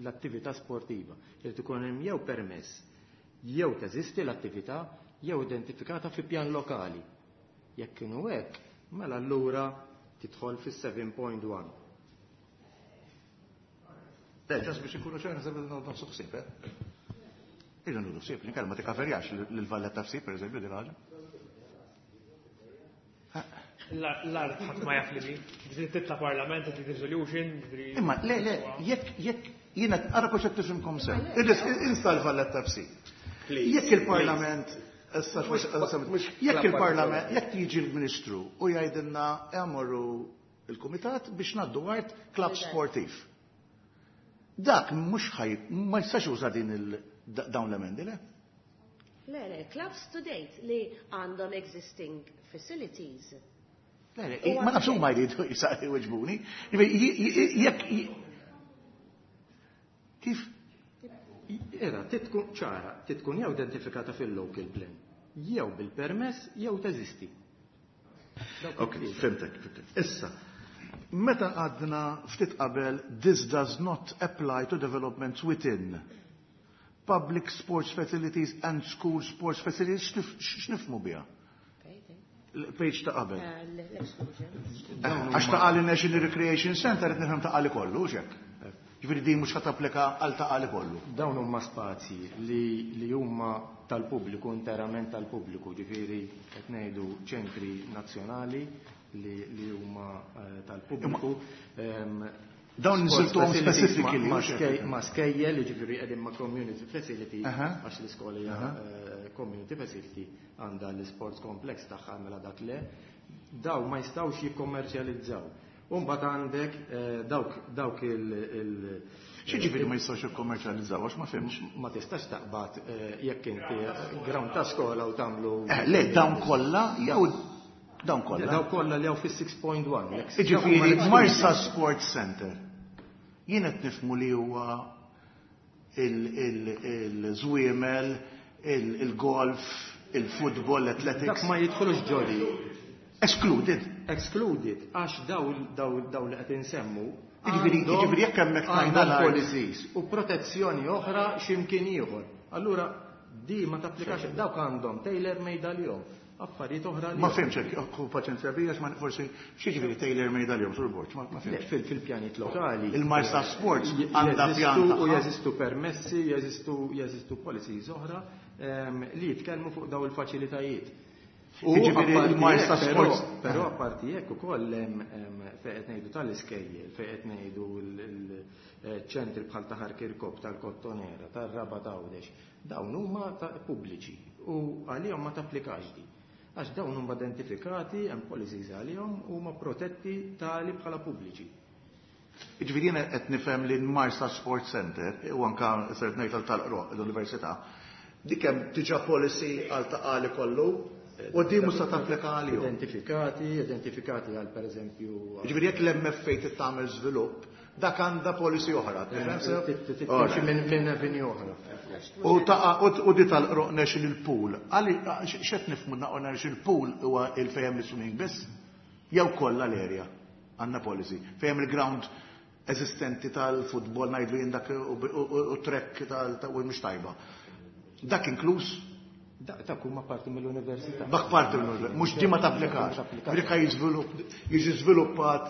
l-attività sportiva. Irid ikun hemm jew permess, jew teżisti l-attività, jew identifikata fi pjan lokali. Jekk kienu hekk, mela allura tidħol fis-7.1. Le, just biex ikunu ċar, naħseb li nagħtu ħsieb, eh? Irridu nieħdu ħsieb, li ma tikkaverjax lil Valletta FC, per eżempju, din ħaġa. L-art ħadd ma jaf li mi. Ġifieri titla' Parlament, titla' resolution, ġifieri. Imma le, le, jekk jiena ara kux qed tifhimkom sew. Insta l-Valletta FC. Jekk il-Parlament issa jekk il-Parlament, jekk jiġi l-Ministru u jgħidilna jagħmlu il-Kumitat biex ngħaddu art klabb sportiv. Dak mhux ħaj ma jistax juża din dawn l-emendi, le? Le, clubs to date li għandhom existing facilities. Le, ma nafx huma jridu jwiġbuni. Jekk kif? Era, titkun ċara, titkun jew identifikata fil-local plan, jew bil-permess, jew teżisti. Ok, fhimtek, fhimtek. Issa, meta għadna ftit qabel, this does not apply to developments within public sports facilities and school sports facilities, x'nifhmu biha? Il-page ta' qabel. L-exclusion. Għax Ta' Qali National Recreation Center qed nifhem Ta' Qali kollu, hux hekk? Ġifieri din mhux ħa tapplika għal Ta' Qali kollu. Dawn huma spazji li huma tal-pubbliku, interament tal-pubbliku, ġifieri qed ngħidu ċentri nazzjonali li huma tal-pubbliku. Dawn Sports nisiltuhom facilities specifically, ma' mhux hekk? ma' skejjel, jiġifieri qegħdin ma' community facility, għax l-iskola hija community facility, għandha l-sports complex tagħha, mela dak le. Daw ma jistgħux jikkommerċjalizzaw. U mbagħad għandek dawk il X'jiġifieri ma jistgħux jikkommerċjalizzaw, għax ma fhimx? Ma tistax taqbad jekk inti ground ta' skola u tagħmlu Le, dawn kollha jew dawn kollha? Dawn kollha li hawn fis-6.1. Jekk Jiġifieri dawn Marsa Sports Center. Jien qed nifhmu li huwa il-żwiemel, il-golf, il-football, l-athletics. Dak ma jidħolux ġoli. Excluded. Excluded, għax daw li qed insemmu Jiġifieri jekk hemmhekk għandhom tajna l-art. policies u protezzjoni oħra x'imkien ieħor. Allura di ma tapplikax, dawk għandhom tailor made għalihom, affarijiet oħra Ma għalihom. fhimx hekk, hu paċenzja bija, ma forsi x'jiġifieri tailor made għalihom sur Borg, ma fhimx. Le, fil-pjanijiet lokali. Il-Marsa Sports għandha Jeżistu pjan u tagħha. jeżistu permessi, jeżistu policies oħra li jitkellmu fuq daw il-faċilitajiet. U Jiġifieri apparti il-Marsa hekk, Sports però apparti hekk ukoll hemm fejn qed ngħidu tal-iskejjel, fejn qed ngħidu l-ċentri bħal ta' Ħar Kirkop, tal-Kottonera, tar-Rabat Għawdex, dawn huma ta' pubbliċi u għalihom ma tapplikax di. Għax dawn huma identifikati, hemm policies għalihom u huma protetti tali bħala pubbliċi. Jiġifieri jiena qed nifhem li l-Marsa Sports Center u anke ser ngħid tal-Qroq l-Università, dik hemm diġà policy għal Ta' Qali kollu u di mhux se tapplika għalihom. Identifikati, identifikati għal pereżempju Jiġifieri jekk l-MFA trid tagħmel żvilupp, dak għandha policy oħra, tifhem sew? Timxi minn avenue oħra. U di tal-Qroq National Pool, għali, x'qed nifhmu naqgħu National Pool huwa il-fejn l-swimming biss? Jew kollha l-area għandna policy. Fejn il-ground eżistenti tal-futbol ngħidlu jien dak u trek ta' u mhux tajba. Dak inkluż? Dak huma parti mill-università. Dak parti mill-università, mhux di ma tapplikax. Ma tapplikax. Dik jiġi żviluppat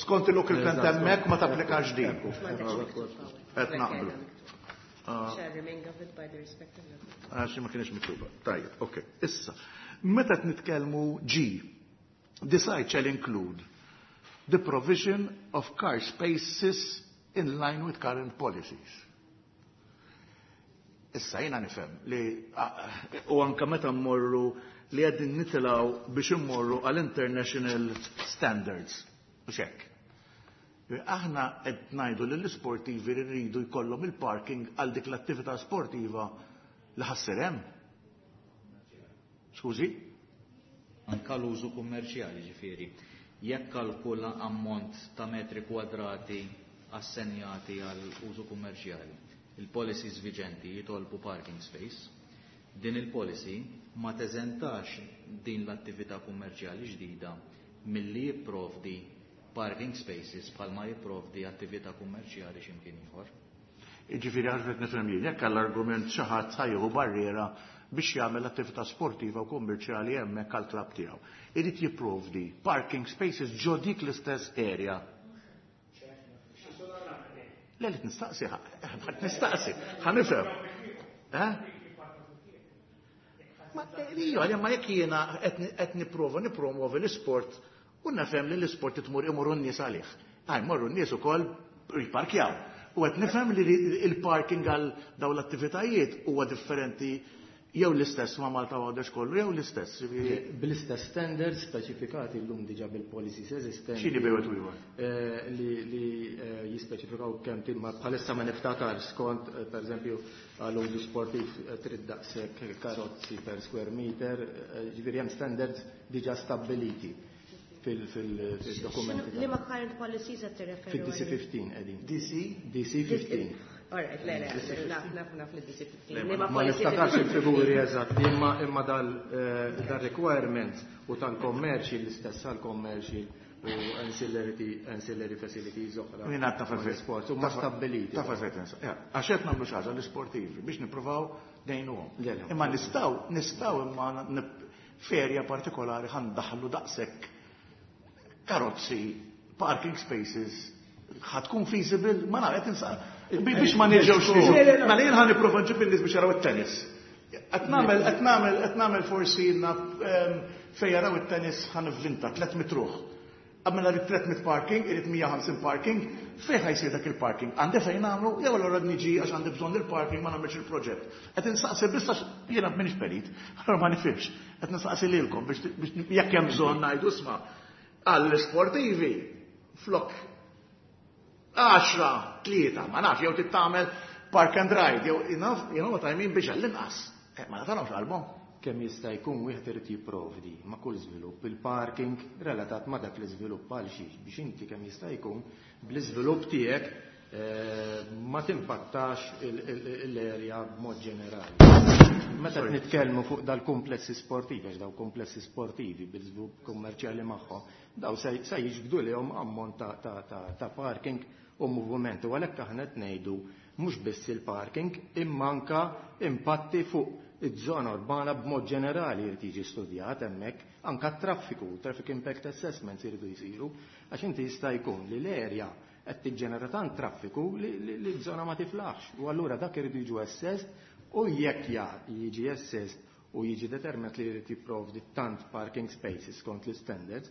skont il-local plan hemmhekk ma tapplikax din. Qed naqblu. Shall remain governed by the respective local. Għax ma kienx miktuba. Tajjeb, ok. Issa, meta qed nitkellmu G, the site shall include the provision of car spaces in line with current policies. Issa jiena nifhem li, u anka meta mmorru li qegħdin nitilgħu biex immorru għal international standards. U xek. Aħna qed ngħidu li l-isportivi li rridu jkollhom il-parking għal dik l-attività sportiva li ħassir hemm. Skużi? Anka l-użu kummerċjali, ġifieri. Jekk kalkula ammont ta' metri kwadrati assenjati għal użu kummerċjali, il-policies viġenti jitolbu parking space, din il-policy ma teżentax din l-attività kummerċjali ġdida milli jipprovdi parking spaces bħalma jipprovdi attività kummerċjali x'imkien ieħor. Jiġifieri għarfet nifhem jien, jekk għall-argument xi ħadd ħa jieħu barriera biex jagħmel attività sportiva u kummerċjali hemmhekk għall-klabb tiegħu. Irid jipprovdi parking spaces ġo dik l-istess area. Le, li nistaqsi, ħadd nistaqsi, ħa nifhem. Eh? Ma, iju, għalja, ma jekk jiena qed nipprova nippromovi l-isport u nifhem li l-isport tmur imorru n-nies għalih. Għaj, morru n-nies ukoll jipparkjaw. U qed nifhem li il-parking għal dawn l-attivitajiet huwa differenti jew l-istess ma' Malta Għawdex kollu, jew l-istess. Ġifieri Bl-istess standards speċifikati llum diġà bil-policies eżistenti. X'inhi bejn wieħed u ieħor? Li jispeċifikaw kemm ma bħalissa ma niftakar skont per eżempju għal użu sportiv trid daqshekk karozzi per square meter, ġifieri hemm standards diġà stabbiliti fil-dokumenti. Li ma current policies qed tirreferi Fid-DC għalihom? 15 qegħdin. DC? DC 15. All right, le, le, naf, naf, naf li DC 15. Le, Li ma Ma policies niftakarx qed il-figuri eżatti, imma dal-requirements u tal-commercial, l-istess għal-commercial u ancillary facilities oħra. Jien għad taf Ma' effett. l-sport, huma stabbiliti. Taf effett, insa. Ja, għax qed nagħmlu xi ħaġa l-isportivi biex nippruvaw ngħinuhom. Le, le. Imma nistgħu imma f'erja partikolari ħa ndaħħlu daqshekk karozzi, parking spaces, ħa tkun feasible, ma naf, qed biex ma nerġgħux niġu. Mela jien ħa nipprova nġib in-nies biex jaraw it-tennis. Qed nagħmel forsi fejn jaraw it-tennis ħa nivvinta 300 ruħ. Mela rrid 300 parking, irrid 150 parking, fejn ħa jsir dak il-parking? Għandi fejn nagħmlu, jew allura niġi għax għandi bżonn il-parking ma nagħmilx il-proġett. Qed insaqsi biss għax jiena m'iniex perit, allura ma nifhimx. Qed nistaqsi lilkom biex jekk hemm bżonn ngħidu, isma', għall-sportivi flok 10, 3, ma nafx, jew tittamel park and ride, jew you know what I mean, biex għall-inqas. Ma nafx qalbhom. Kemm jista' jkun wieħed irid jipprovdi ma' kull żvilupp il-parking relatat ma' dak l-iżvilupp. Għal xiex? Biex inti kemm jista' jkun bl-iżvilupp tiegħek ma timpattax l-area b'mod ġenerali. Meta nitkellmu fuq dal-komplessi sportivi, għax daw komplessi sportivi bil-żvilupp kummerċjali magħhom, daw se jiġbdu lihom ammont ta' parking u moviment. U għalhekk aħna qed ngħidu mhux biss il-parking imma anka impatti fuq iż-żona urbana b'mod ġenerali jrid jiġi studjat hemmhekk, anka traffiku, traffic impact assessments jridu jsiru, għax inti jista' jkun li l-area qed tiġġenera tant traffiku li l-żona ma tiflaħx. U allura dak irid jiġu assessed u jekk jiġi assessed u jiġi determinat li jrid jipprovdi tant parking spaces skont l-standards,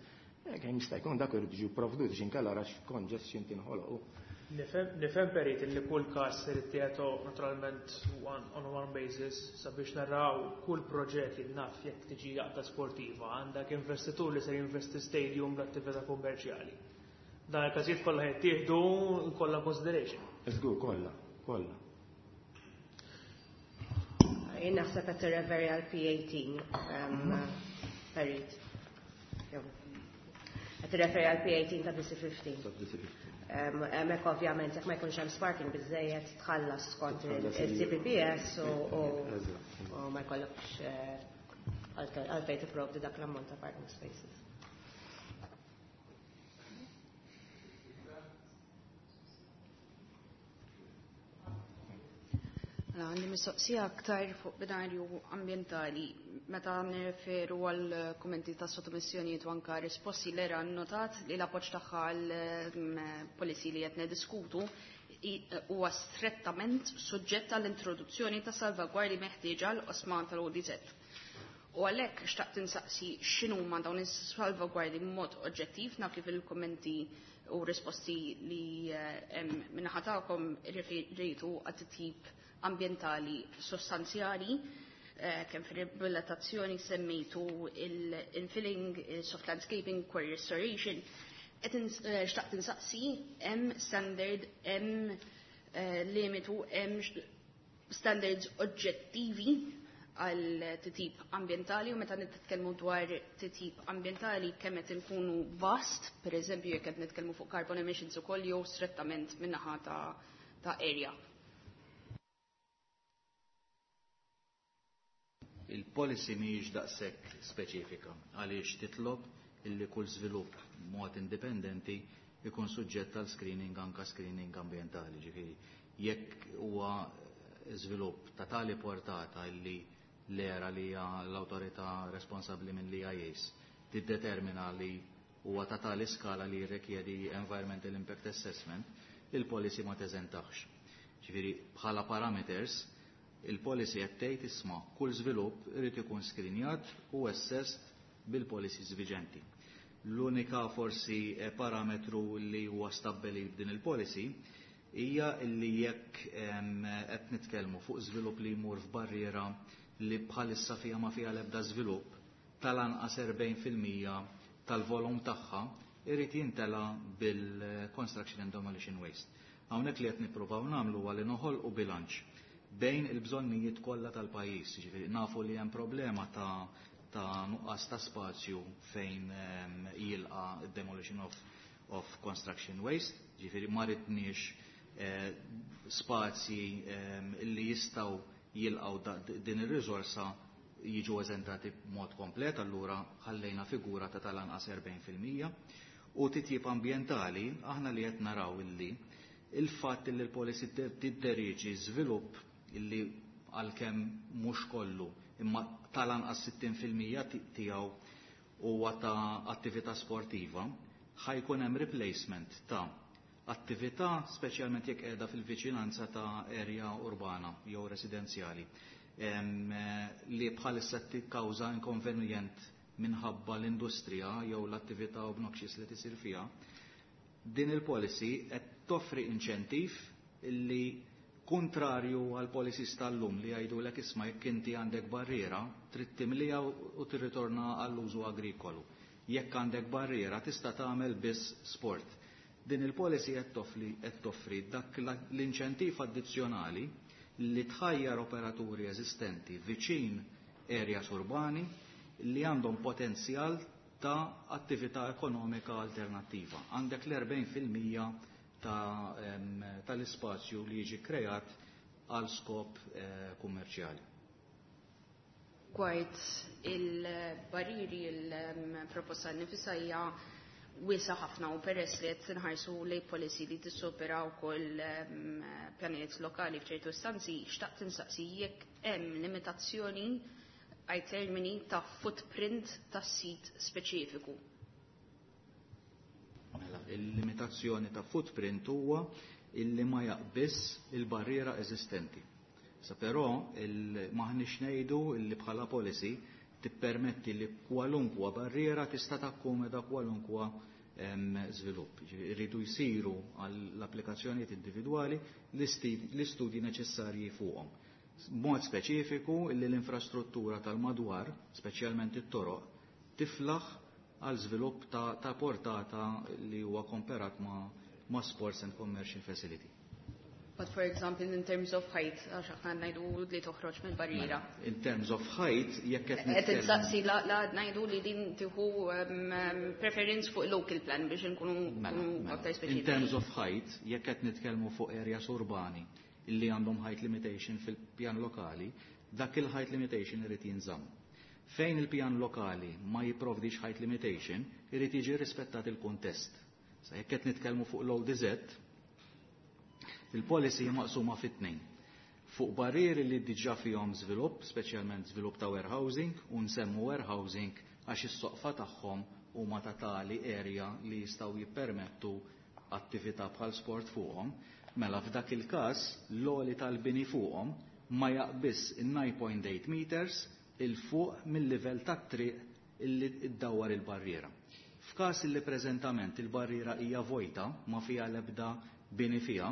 kemm jista' jkun dak irid jiġu provdut biex inkella rax congestion tinħoloq. Nifhem, Perit, li kull każ irid tiegħu naturalment one on one basis sabiex naraw kull proġett li naf jekk tiġi għaqda sportiva, għandek investitur li se jinvesti stadium l-attività kummerċjali. Dan il-każijiet kollha jittieħdu kollha consideration. Żgur, kollha, kollha. Jien naħseb qed tirreferi għal P18, Perit. Qed tirreferi għal P18 ta' DC15. Hemmhekk ovvjament jekk ma jkunx hemm parking biżejjed tħallas skont il-CPPS u ma jkollokx għalfejn tipprovdi dak l-ammont ta' parking spaces. Mela, għandi mistoqsija aktar fuq binarju ambientali. Meta nirreferu għal kummenti ta' sottomissjonijiet u anka risposti, l-ERA notat li l-appoġġ tagħha għal policy li qed nediskutu huwa strettament suġġett għall-introduzzjoni ta' salvagwardi meħtieġa għal oqsma tal-ODZ. U għalhekk xtaqt insaqsi x'inhuma dawn is-salvagwardi b'mod oġġettiv. Naf kif il-kummenti u risposti li hemm min-naħa tagħkom referejtu għat-tip ambientali sostanzjali, kemm fir-riabilitazzjoni semmejtu il-infilling, soft landscaping, quarry restoration. Xtaqt insaqsi, hemm standard, hemm limitu, hemm standards oġġettivi għal titjib ambientali? U meta nitkellmu dwar titjib ambientali, kemm qed inkunu vast, per eżempju jekk qed nitkellmu fuq carbon emissions ukoll jew strettament min-naħa ta' area? Il-policy mhijiex daqshekk speċifika għaliex titlob illi kull żvilupp mod indipendenti ikun suġġett għal screening, anka screening ambientali. Ġifieri jekk huwa żvilupp ta' tali portata illi l-ERA, li hija l-awtorità responsabbli minn l-EIAs, tiddetermina li huwa ta' tali skala li jirrikjedi Environmental Impact Assessment, il-policy ma teżentax. Ġifieri bħala parameters, il-policy qed tgħid, isma', kull żvilupp irid ikun skrinjat u assessed bil-policies viġenti. L-unika forsi parametru li huwa stabbilit b'din il-policy hija li jekk qed nitkellmu fuq żvilupp li jmur f'barriera li bħalissa fiha ma fiha l-ebda żvilupp, tal-anqas 40% tal-volum tagħha irid jintela bil-construction and demolition waste. Hawnhekk li qed nippruvaw nagħmlu huwa li noħolqu bilanċ bejn il-bżonnijiet kollha tal-pajjiż. Ġifieri nafu li hemm problema ta' nuqqas ta' spazju fejn jilqa demolition of construction waste, ġifieri ma ridniex spazji li jistgħu jilqgħu din ir-riżorsa jiġu eżentati b'mod komplet, allura ħallejna figura ta' tal-anqas 40%. U titjib ambientali, aħna li qed naraw illi il-fatt li l-policy tidderieġi żvilupp illi għalkemm mhux kollu imma tal-anqas 60% tiegħu huwa ta' attività sportiva, ħa jkun hemm replacement ta' attività, speċjalment jekk qiegħda fil-viċinanza ta' area urbana jew residenzjali, li bħalissa tikkawża inkonvenjent minħabba l-industrija jew l-attività obnoxious li tisir fiha. Din il-policy qed toffri inċentiv illi, kontrarju għal policies tal-lum li jgħidulek, "Isma', jekk inti għandek barriera, trid timlija u tirritorna għall-użu agrikolu. Jekk għandek barriera, tista' tagħmel biss sport." Din il-policy qed toffri dak l-inċentiv addizzjonali li tħajjar operaturi eżistenti viċin areas urbani li għandhom potenzjal ta' attività ekonomika alternattiva. Għandek l-40% tal-ispazju li jiġi kreat għal skop kummerċjali. Rigward il-barriri, il-proposta nifisha hija wiesgħa ħafna u peress li qed nħarsu lej policy li tissupera wkoll pjanijiet lokali f'ċertu istanzi, xtaqt insaqsi jekk hemm limitazzjoni għaj termini ta' footprint ta' sit speċifiku. Mela, il-limitazzjoni ta' footprint huwa illi ma jaqbiss il-barriera eżistenti. Sa però maħniex ngħidu illi bħala policy tippermetti li kwalunkwa barriera tista' takkomoda kwalunkwa żvilupp. Iridu jsiru għall-applikazzjonijiet individwali l-istudji neċessarji fuqhom. Mod speċifiku illi l-infrastruttura tal-madwar, speċjalment it-toroq, tiflaħ għal żvilupp ta' portata li huwa komparat ma' sports and commercial facility. But for example, in terms of height, għax aħna ngħidu li toħroġ mill-barriera. Mela, in terms of height, jekk qed Qed insaqsi la ngħidu li din tieħu preference fuq local plan biex nkunu Mela, mela. aktar In speċifiċi. terms of height, jekk qed nitkellmu fuq areas urbani illi għandhom height limitation fil-pjan lokali, dak il-height limitation irid jinżamm. Fejn il-pjan lokali ma jipprovdix height limitation, irid jiġi rispettat il-kuntest. Sa jekk qed nitkellmu fuq l-ODZ, il-policy hija maqsuma fit-tnejn. Fuq barrieri li diġà fihom żvilupp, speċjalment żvilupp ta' warehousing, u nsemmu warehousing għax is-soqfa tagħhom huma ta' tali area li jistgħu jippermettu attività bħal sport fuqhom, mela f'dak il-każ l-għoli tal-bini fuqhom ma jaqbiss in-9.8 meters 'il fuq mill-livell tat-triq illi iddawwar il-barriera. F'każ li preżentament il-barriera hija vojta, ma fiha l-ebda bini fiha,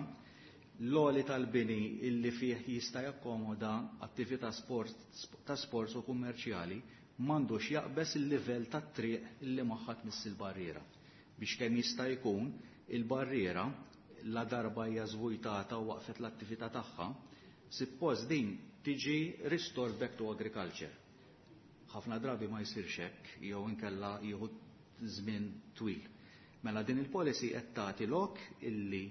l-għoli tal-bini illi fih jista' jakkomoda attività sport, ta' sports u kummerċjali m'għandux jaqbeż il-livell tat-triq illi magħha tmiss il-barriera. Biex kemm jista' jkun il-barriera, la darba hija żvujtata u waqfet l-attività tagħha, suppost din tiġi restored back to agriculture. Ħafna drabi ma jsirx hekk jew inkella jieħu żmien twil. Mela din il-policy qed tagħti lok illi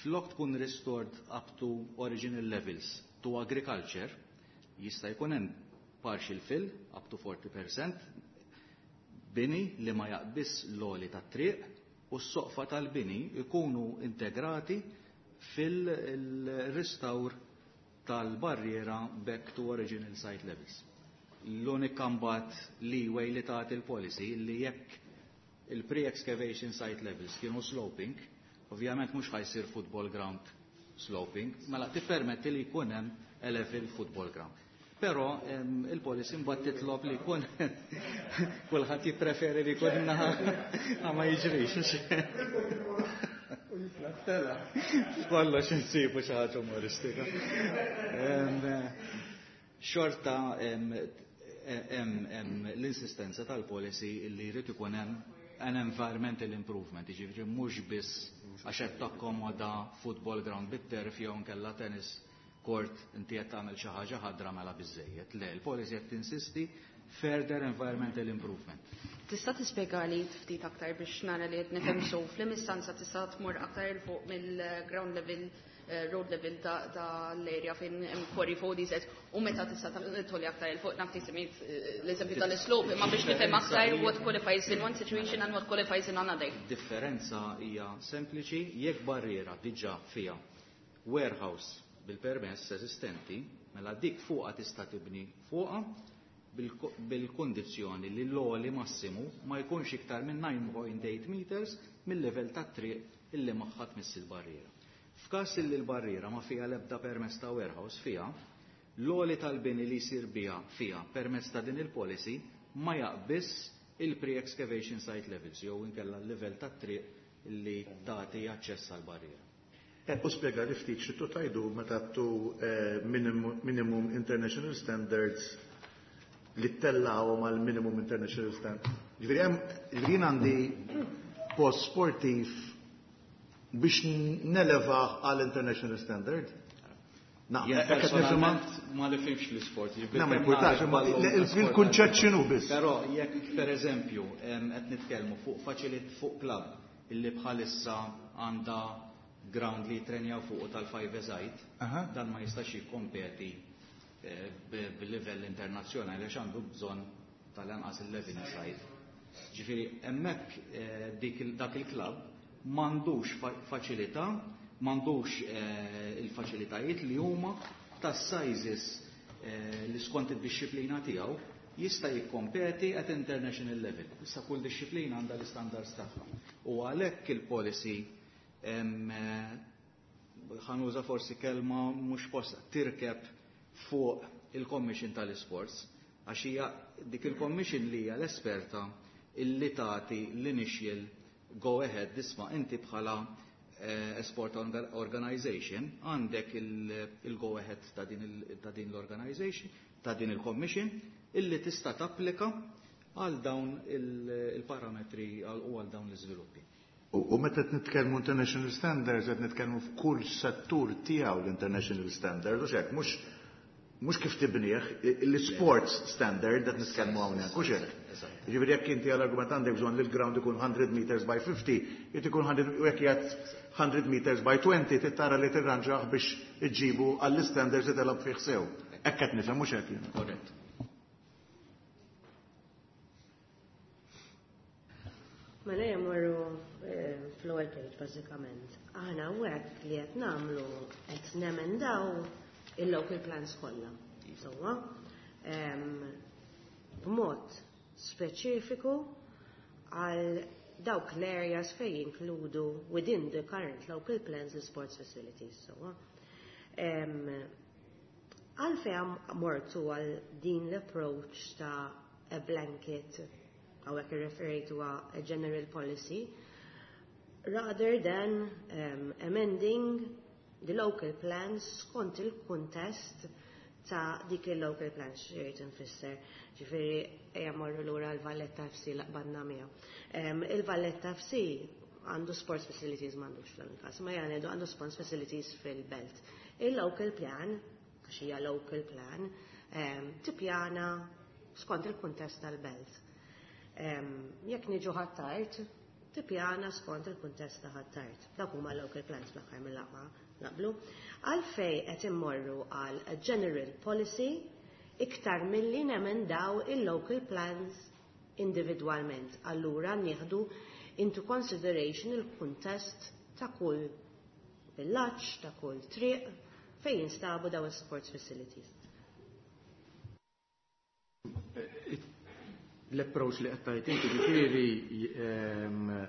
flok tkun restored up to original levels to agriculture, jista' jkun hemm partial fill up to 40%, bini li ma jaqbiss l-għoli tat-triq u s-soqfa tal-bini ikunu integrati fil-restawr tal-barriera back to original site levels. L-unika mbagħad leeway li tagħti il-policy li jekk il-pre-excavation site levels kienu sloping, ovvjament mhux ħa jsir football ground sloping, mela tippermetti li jkun hemm a level football ground. Però il-policy mbagħad titlob li jkun kulħadd jippreferi li jkun naħa ma jiġrix. Kollox insibu xi ħaġa umoristika. Xorta hemm l-insistenza tal-policy li jrid ikun hemm an environmental improvement, jiġifieri mhux biss għax qed takkomoda football ground bit-turf jew nkella tennis court inti qed tagħmel xi ħaġa ħadra, mela biżejjed. Le, il-policy qed tinsisti further environmental improvement. Tista' tispjega li ftit aktar biex nara li qed nifhem so fl-istanza tista' tmur aktar 'il fuq mill-ground level, road level ta' l-area fejn hemm quarry 4DZ u meta tista' tolli aktar 'il fuq? Naf semmejt l-eżempju tal-slope, imma biex nifhem aktar what qualifies in one situation and what qualifies in another. Differenza hija sempliċi: jekk barriera diġà fiha warehouse. bil-permess eżistenti, mela dik fuqha tista' tibni fuqha bil-kondizzjoni li l-għoli massimu ma jkunx iktar minn 9.8 meters mill-livell tat-triq illi magħha tmiss il-barriera. F'każ illi l-barriera ma fiha l-ebda permess ta' warehouse fiha, l-għoli tal-bini li jsir biha fiha permezz ta' din il-policy ma jaqbiss il-pre-excavation site levels jew inkella l-livell tat-triq li tagħti aċċess għall-barriera. U spjega li ftit xi tajdu meta tu minimum international standards li ttellgħuhom għal minimum international standard. Ġifieri hemm, ġifieri jien għandi post sportiv biex nelevah għal international standard. Jien personalment ma nifhimx l-isport. Na, ma importax, imma il-kunċett x'inhu biss. Però jekk pereżempju qed nitkellmu fuq faċilit fuq club illi bħalissa għandha ground li jitrenjaw fuq tal-five side, dan ma jistax jikkompeti bil-livell internazzjonali għax għandu bżonn tal-anqas 11 side. Ġifieri hemmhekk dak il-club m'għandux faċilità, m'għandux il-faċilitajiet li huma tas-sizes li skont id-disciplina tiegħu jista' jikkompeti at international level. Issa kull disciplina għandha l-istandards tagħha. U għalhekk il-policy, ħa nuża forsi kelma mhux posta, tirkeb fuq il-Commission tal-Sports, għax hija dik il-Commission li hija l-esperta illi tagħti l-initial go ahead, isma' inti bħala sport organization għandek il-go ahead ta' din l-organization, ta' din il-commission, illi tista' tapplika għal dawn il-parametri u għal dawn l-iżviluppi. U meta qed nitkellmu international standards, qed nitkellmu f'kull settur tiegħu l-international standards, u xek, mhux kif tibnieh, l-sports standard qed nitkellmu hawnhekk, u xek. Ġifieri jekk inti għall-argument għandek bżonn li l-ground ikun 100 meters by 50, jrid ikun 100, u jekk jgħid 100 meters by 20, tittara li tirranġaħ biex iġġibu għall-standards li telab fih sew. Hekk qed nifhem, mhux hekk jien. Korrett. Mela jmorru fl-ewwel page bażikament. Aħna hawnhekk li qed nagħmlu qed nemendaw il-local plans kollha. Sewwa. B'mod speċifiku għal dawk l-areas fej jinkludu within the current local plans the sports facilities. Sewwa. Għalfejn mortu għal din l-approach ta' a blanket, hawnhekk irreferejtu a general policy, rather than amending the local plans skont il-kuntest ta' dik il-local plans, xirrit nfisser. Ġifieri, ejja morru lura l-Valletta FC laqbadna miegħu. Il-Valletta FC għandu sports facilities, m'għandux f'dan il-każ, ma jgħidu għandu sports facilities fil-belt. Il-local plan, għax hija local plan, tippjana skont il-kuntest tal-belt. Jekk niġu Ħ'Attard, tippjana skont il-kuntest ta' Ħ'Attard. Dak huma local plans fl-aħħar mill-aqwa naqblu. Għalfej qed immorru għal general policy iktar milli nemendaw il-local plans individwalment. Allura nieħdu into consideration il-kuntest ta' kull villaġġ, ta' kull triq fejn jinstabu daw il-sports facilities. L-approach li qed tgħid inti ġifieri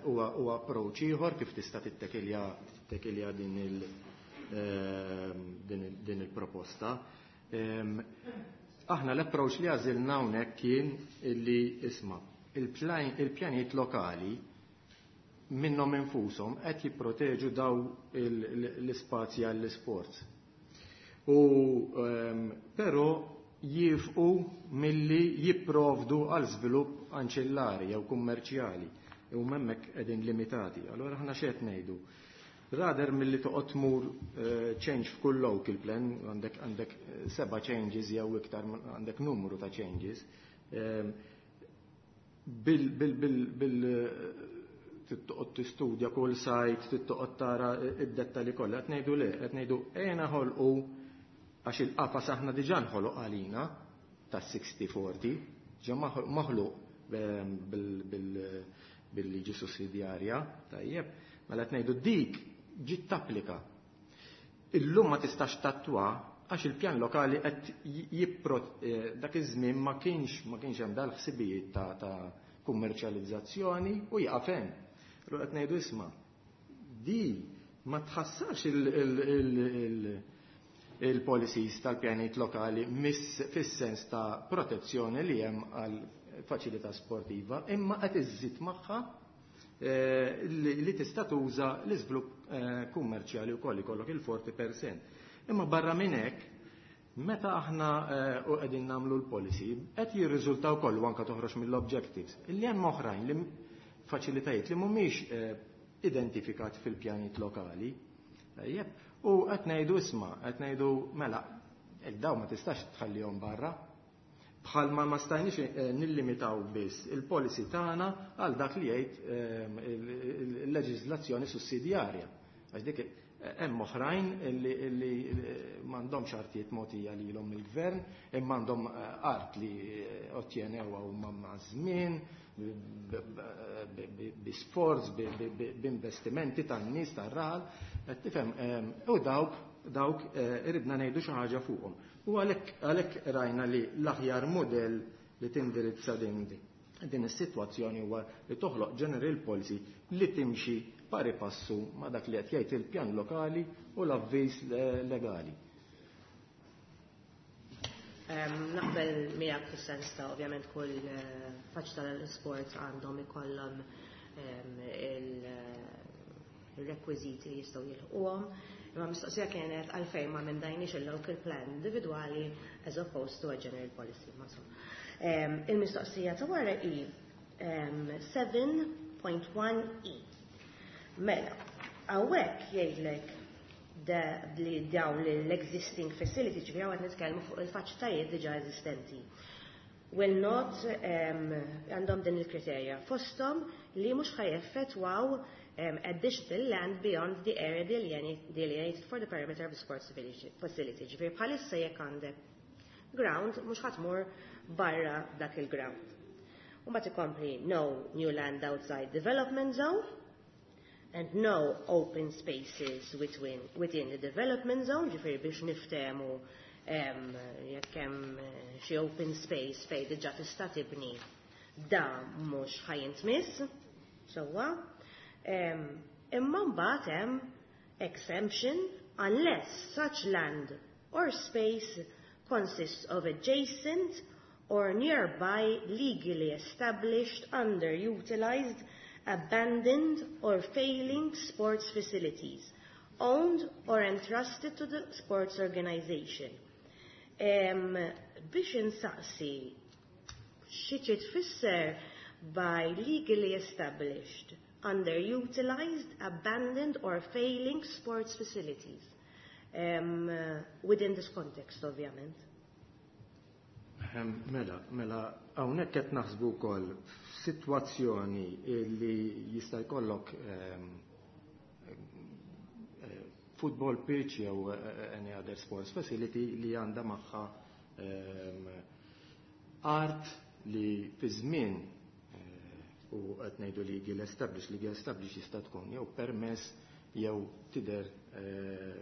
huwa approach ieħor kif tista' tittekilja din il-proposta. Aħna l-approach li għażilna hawnhekk kien illi isma' il-pjanijiet lokali minnhom infushom qed jipproteġu daw l-ispazji għall-isports. U però jifqu milli jipprovdu għal żvilupp anċillari jew kummerċjali u hemmhekk qegħdin limitati. Allora aħna x'qed ngħidu? Rather milli toqgħod tmur change f'kull local plan, għandek 7 changes jew iktar, għandek numru ta' changes, bil toqgħod tistudja kull site, toqgħod tara id-dettalji kollha, qed ngħidu le, qed ngħidu ejja naħolqu għax il-qafas aħna diġà nħoloq għalina ta' 60-40, ġa maħluq bil-liġi sussidjarja, tajjeb, mela qed ngħidu dik ġiet tapplika. Illum ma tistax tattwa għax il-pjan lokali qed dak iż-żmien ma kienx hemm dal-ħsibijiet ta' kummerċjalizzazzjoni u jaqaf hemm. Allura qed ngħidu, isma', di ma tħassarx il-policies tal-pjanijiet lokali fis-sens ta' protezzjoni li hemm għal faċilità sportiva, imma qed iżżid magħha li tista' tuża l-iżvilupp kummerċjali wkoll, ikollok il-40%. Imma barra minn hekk, meta aħna u qegħdin nagħmlu l-policy, qed jirriżulta wkoll u anke toħroġ mill-objectives illi hemm oħrajn li faċilitajiet li mhumiex identifikati fil-pjanijiet lokali. Tajjeb, u qed ngħidu, isma', qed ngħidu mela, daw ma tistax tħallihom barra. Bħalma ma stajniex nillimitaw biss il-policy tagħna għal dak li jgħid il-leġiżlazzjoni sussidjarja. Għax dik hemm oħrajn li m'għandhomx artijiet mogħtija lilhom mill-gvern, imma għandhom art li ottjenewha huma ma' żmien, bi sforz, b'investimenti tan-nies tar-raħal, qed tifhem, u dawk iridna ngħidu xi ħaġa fuqhom. U għalhekk rajna li l-aħjar modell li tindirizza din is-sitwazzjoni huwa li toħloq general policy li timxi pari passu ma' dak li qed jgħid il-pjan lokali u l-avviż legali. Naqbel miegħek fis-sens ta' ovvjament kull faċilità tal-sport għandhom ikollhom il-rekwiżiti li jistgħu jilħquhom. Imma mistoqsija kienet għalfejn ma emendajniex il-local plan individwali as opposed to a general policy. Ma insomma. Il-mistoqsija ta' wara hi 7.1e. Mela, hawnhekk jgħidlek li dawn l-existing facility, ġifieri għad nitkellmu fuq il-faċilitajiet diġà eżistenti, will not għandhom din il-kriterja fosthom li mhux ħa jeffettwaw additional land beyond the area delineated for the perimeter of the sports facility. Ġifieri bħalissa jekk għandek ground, mhux ħa tmur barra dak il-ground. U mbagħad ikompli no new land outside development zone and no open spaces within the development zone, ġifieri biex niftehmu jekk hemm xi open space fejn diġà tista' tibni, da mhux ħa jintmiss, sewwa. Imma mbagħad hemm exemption unless such land or space consists of adjacent or nearby legally established, underutilized, abandoned or failing sports facilities owned or entrusted to the sports organization. Biex insaqsi xi trid tfisser by legally established, underutilized, abandoned or failing sports facilities. Within this context, ovvjament. Mela, hawnhekk qed naħsbu wkoll f'sitwazzjoni li jista' jkollok football pitch jew any other sports facility li għandha magħha art li fi żmien u qed ngħidu li legal established jista' tkun jew permess jew tidher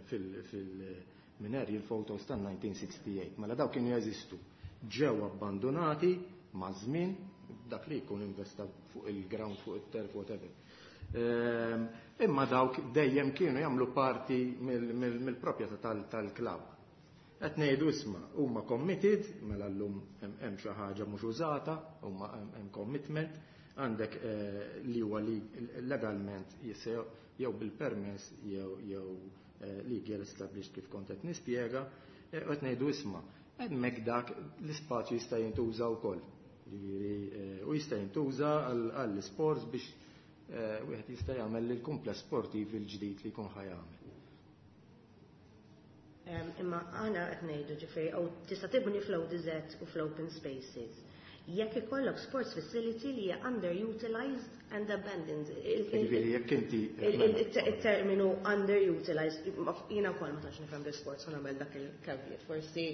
fil-mineri il-photos tan-1968. Mela daw kienu jeżistu. Ġew abbandonati ma' żmien, dak li jkun investa fuq il-ground, fuq il-turf, whatever. Imma dawk dejjem kienu jagħmlu parti mill-proprjetà tal-klabb. Qed ngħidu, isma', huma committed, mela llum hemm xi ħaġa mhux użata, huma hemm commitment, għandek li huwa li legalment jew bil-permess jew legal established kif kont qed nispjega, qed ngħidu, isma', hemmhekk dak l-ispazju jista' jintuża wkoll. Jiġifieri, u jista' jintuża għall-sports biex wieħed jista' jagħmel il-kumpless sportiv il-ġdid li jkun ħa jagħmel. Imma aħna qed ngħidu ġifieri jew tista' tibni fl-ODZ u fl-open spaces jekk ikollok sports facility li hija underutilized and abandoned. Ġifieri jekk inti Il-terminu underutilized, jiena wkoll ma tantx nifhem bil-sports, u nagħmel dak il-caveat. Forsi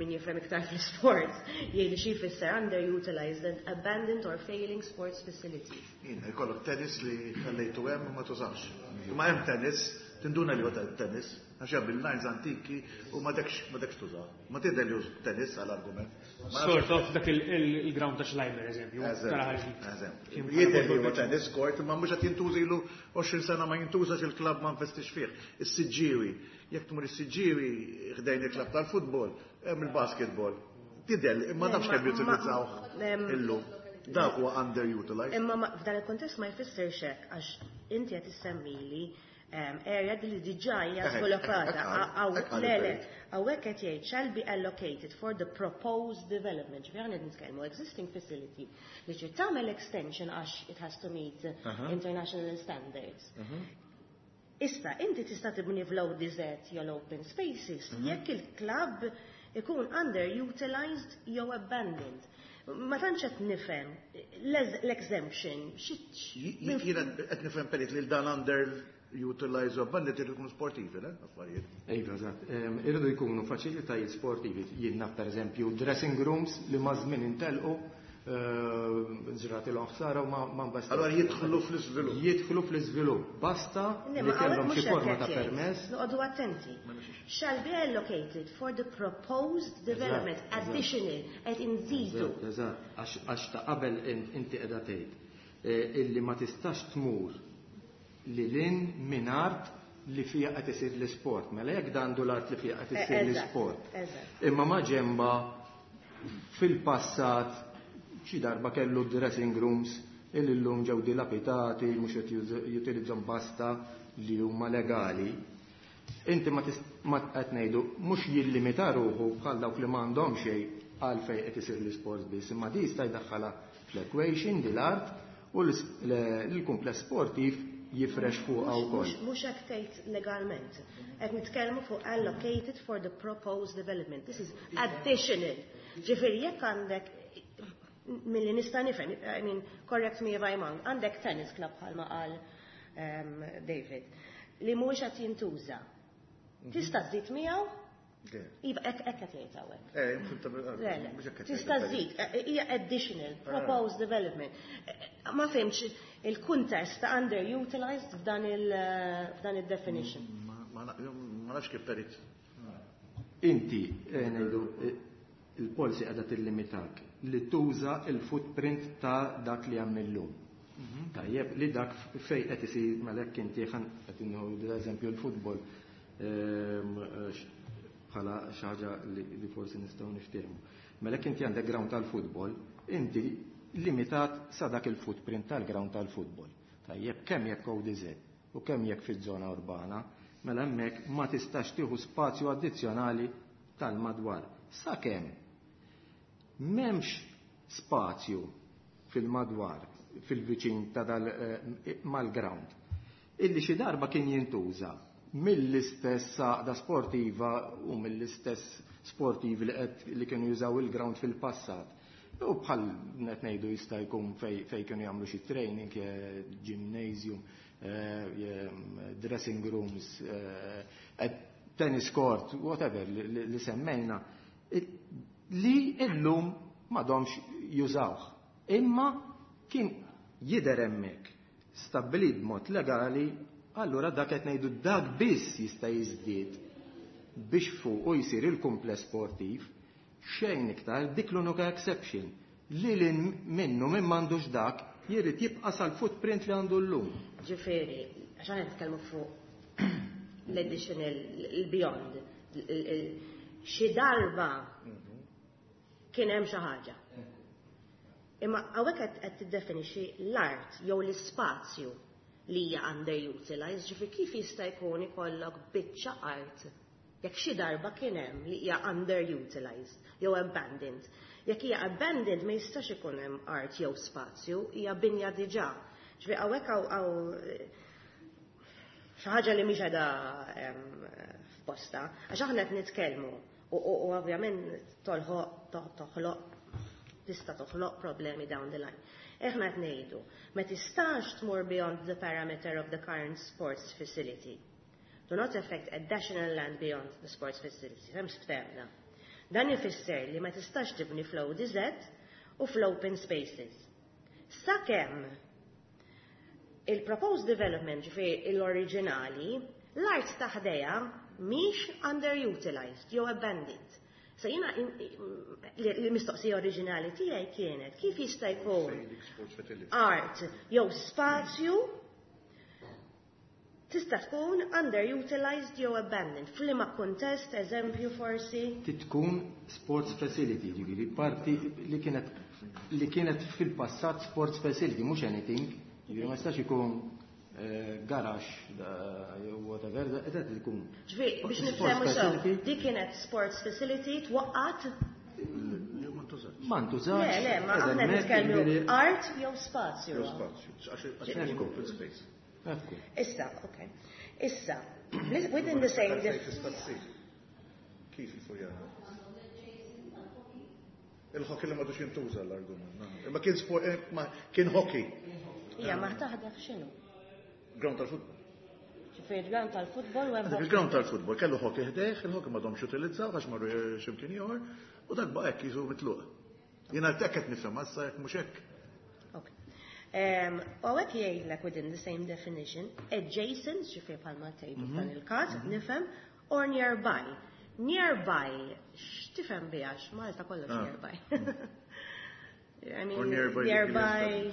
min jifhem iktar fl-sports jgħid xi jfisser underutilized and abandoned or failing sports facilities. Jien, ikollok tennis li ħallejtu hemm u ma tużax. Ma hemm tennis, tinduna li huwa tennis. Għax hemm il-lines antiki u ma dekx tuża. Ma tidher li tennis għal-argument. Sort of dak il-ground ta' Schleimer, eżempju. Eżempju. Jidher li huwa tennis court, ma mhux qed jintuża ilu 20 sena ma jintużax, il-klabb ma investix fih. Is-Siġġiewi, jekk tmur is-Siġġiewi ħdejn il-klabb tal-futbol, hemm il-basketball. Tidher, imma nafx kemm jutilizzaw illum. Dak huwa underutilized. Imma f'dan il-kontest ma jfissirx hekk, għax inti qed issemmili area li diġà hija sviluppata. Le, hawnhekk qed jgħid "shall be allocated for the proposed development". Ġifieri aħna nitkellmu existing facility li trid tagħmel extension għax it has to meet international standards. Issa, inti tista' tibni fl-ODZ jew open spaces jekk il-club ikun underutilized jew abandoned. Ma tantx qed nifhem l-exemption. Jiena qed nifhem, Perit, li dan underutilized u abandoned irid ikun sportivi, le? Affarijiet. Iva, eżatt. Irridu jkunu faċilitajiet sportivi. Jien naf, pereżempju, dressing rooms li maż-żmien intelqu, ġrat il ħsara u ma basta. Allora jidħlu fl-iżvilupp. Jidħlu fl-iżvilupp. Basta li kellhom xi forma ta' permess. Noqogħdu attenti. Shall be allocated for the proposed development, additional, qed inżidu. Eżatt, għax ta' qabel inti qiegħda tgħid illi ma tistax tmur lil hinn minn art li fija qed isir l-isport. Mela jekk dandu l-art li fija qed isir l-isport. Imma ma ġemba fil-passat xi darba kellu dressing rooms illi llum ġew dilapidati, mhux qed jutilizzhom, basta li huma legali. Inti ma qed ngħidu mhux jillimita ruħu bħal dawk li m'għandhom xejn għal fejn qed isir l-isport biss, imma di jista' jdaħħalha fl-equation di l-art u l-kumpless sportiv jifrex fuqha wkoll. Mhux hekk tgħid legalment. Qed nitkellmu fuq allocated for the proposed development. This is additional. Ġifieri jekk għandek, milli nista' nifhem, I mean, correct me if I'm wrong, għandek tennis club bħalma qal David, li mhuwiex qed jintuża. Tista' żżid miegħu? Iva, hekk qed jgħid hawnhekk. Le, tista' żżid, hija additional, proposed development. Ma fhimtx il-kuntest ta' underutilized f'dan il-definition. Ma nafx kif, Perit. Inti, ngħidu, il-policy qiegħda tillimitak li tuża il-footprint ta' dak li hemm illum. Tajjeb, li dak fej qed isir malek inti qed l-eżempju l-futbol bħala xi ħaġa li forsi nistgħu niftehmu. Mela inti għandek ground tal-futbol, inti limitat sa dak il-footprint tal-ground tal-futbol. Tajjeb, kemm jekk ODZ u kemm jekk fiż-żona urbana, mela hemmhekk ma tistax tieħu spazju addizzjonali tal-madwar. Sakemm m'hemmx spazju fil-madwar, fil-viċin ta' dal mal-ground, illi xi darba kien jintuża mill-istess għaqda sportiva u mill-istess sportivi li qed li kienu jużaw il-ground fil-passat. U bħal net ngħidu jista' jkun fej kienu jagħmlu xi training, gymnasium, dressing rooms, tennis court, whatever li semmejna, li illum m'għadhomx jużawh. Imma kien jidher hemmhekk stabbilit b'mod legali, allura dak qed ngħidu dak biss jista' jiżdied biex fuq u jsir il-kumpless sportiv, xejn iktar, dik l-unika exception. Li lil hinn minnu min m'għandux dak jrid jibqa' sal-footprint li għandu llum. Ġifieri, għax aħna nitkellmu fuq l-additional, il-beyond, xi darba kien hemm xi ħaġa. Imma hawnhekk qed tiddefinixxi l-art jew l-ispazju li hija underutilized, ġifieri kif jista' jkun ikollok biċċa art jekk xi darba kien hemm li hija underutilized jew abandoned? Jekk hija abandoned, ma jistax ikun hemm art jew spazju, hija binja diġà. Ġifieri hawnhekk hawn xi ħaġa li mhix qiegħda f'posta, għax aħna qed nitkellmu u ovvjament toħloq tista' toħloq problemi down the line. Aħna qed ngħidu ma tistax tmur beyond the parameter of the current sports facility. Do not affect additional land beyond the sports facility. Hemm ftehemna. Dan ifisser li ma tistax tibni fl-ODZ u fl-open spaces. Sakemm il-proposed development, ġifieri l-oriġinali, l-art ta' ħdejha mhix underutilized jew abandoned. So jiena l-mistoqsija oriġinali tiegħi kienet kif jista' jkun art jew spazju tista' tkun underutilized jew abandoned. F'liema kuntest, eżempju forsi? Tkun sports facility, ġifieri parti li kienet fil-passat sports facility, mhux anything, ġifieri ma jistax ikun garax jew whatever, qed ikun. Ġifieri biex niftehmu sew, dik kienet sports facility twaqqat? Ma ntużax. Le, ma aħna nitkellmu art jew spazju. Jew spazju, għax open space. Issa, ok. Issa, within the same Kif il-Furjana? Il-hockey li m'għadux jintuża l-argument. Imma kien sport, ma kien hockey. Ija, ma taħdef x'inhu? Ground tal-futbol. Ġifieri ground tal-futbol u hemm Il-ground tal-futbol kellu hockey ħdejh, il-hockey m'għadhomx utilizzaw għax marru x'imkien ieħor, u dak baqa' hekk jiżu mitluq. Jiena t-tekket nifhem, issa jekk mhux hekk. U hawnhekk jgħidlek within the same definition, adjacent, ġifieri bħalma tgħidu f'dan il-każ, nifhem, or nearby. Nearby, x'tifhem biha? Malta kollox nearby. I mean, Or nearby, nearby,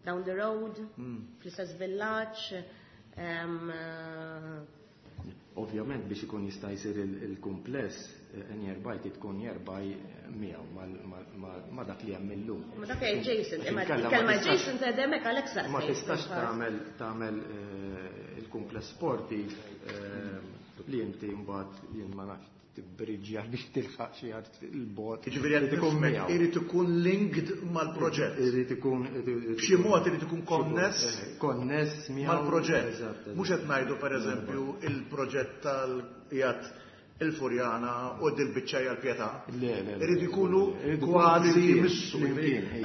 down the road, fl-istess villaġġ. Ovvjament biex ikun jista' jsir il-kumpless, nearby tkun nearby miegħu ma' dak li hemm illum. Ma dak adjacent, imma kelma adjacent għedemek għalhekk. Ma tistax tagħmel il-kumpless sportiv li inti mbagħad, jien ma nafx, tibbriġja biex tilħaq xi art il-bot. Jiġifieri qed ikun miegħu. Irid ikun linked mal-proġett. Irid ikun B'xi mod irid ikun konness konness miegħu mal-proġett. Mhux qed ngħidu, pereżempju, il-proġett tal-jgħat il-Furjana u dil-biċċa l-Pietà. Le, le. Irid ikunu kważi jmissu.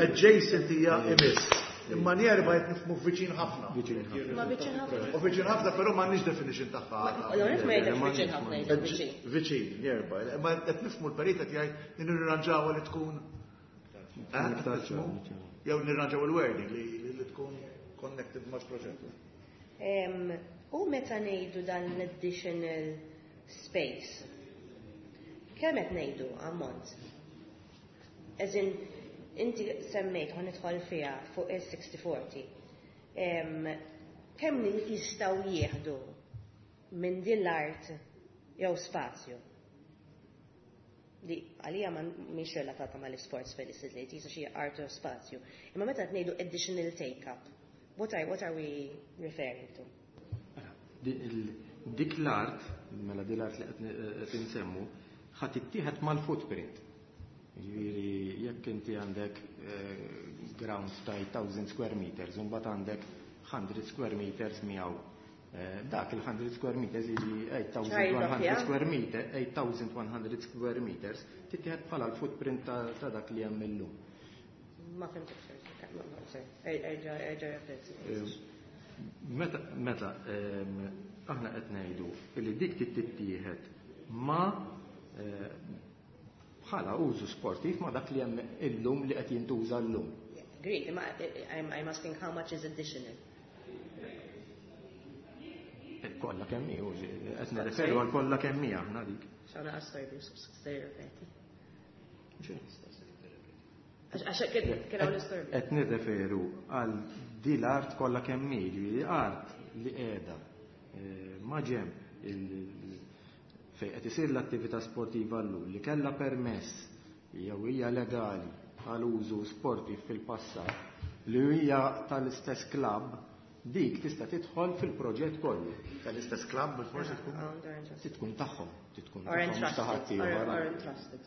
Adjacent hija imiss. Imma nearby qed nifhmu viċin ħafna. Viċin ħafna. Ma viċin ħafna. U viċin ħafna, però m'għandniex definition tagħha. L-għonet ma jgħidx viċin ħafna, jgħid viċin. Viċin, nearby. Imma qed nifhmu l-perit qed jgħid li nirranġawha li tkun, jew nirranġaw il-wording li tkun connected mal-proġett. U meta ngħidu dan l-additional space, kemm qed ngħidu ammont? As in, inti semmejt ħa nidħol fiha fuq il-60-40. Kemm jistgħu jieħdu minn din l-art jew spazju? Li għalija ma mhix relatata mal-sports facility, jisa xi art jew spazju. Imma meta qed ngħidu additional take-up, what are we referring to? Dik l-art, mela dik l-art li qed insemmu, ħa tittieħed mal-footprint. Ġifieri jekk inti għandek ground ta' 1000 square meters, u mbagħad għandek 100 square meters miegħu. Dak il-100 square meters jiġi 8100 square meter, 8100 square meters, tittieħed bħala l-footprint ta' dak li hemm illum. Ma fhimtx, erġa' erġa' Meta aħna qed ngħidu li dik tittieħed ma bħala użu sportiv ma dak li hemm illum, li qed jintuża llum. Great, imma I'm asking how much is additional. Kollha kemm hi, qed nirreferu għal kollha kemm hi aħna dik. X'għana għastorbi, ripeti. Għax kien hawn l-istorbi. Qed nirreferu għal di l-art kollha kemm hi, ġifieri art li qiegħda ma' ġenb fejn qed isir l-attività sportiva llum, li kellha permess jew hija legali għal użu sportiv fil-passat, li hija tal-istess klabb, dik tista' tidħol fil-proġett kollu. Tal-istess klabb forsi tkun? Tkun tagħhom, tkun tagħhom, mhux ta' ħadd ieħor. Or entrusted.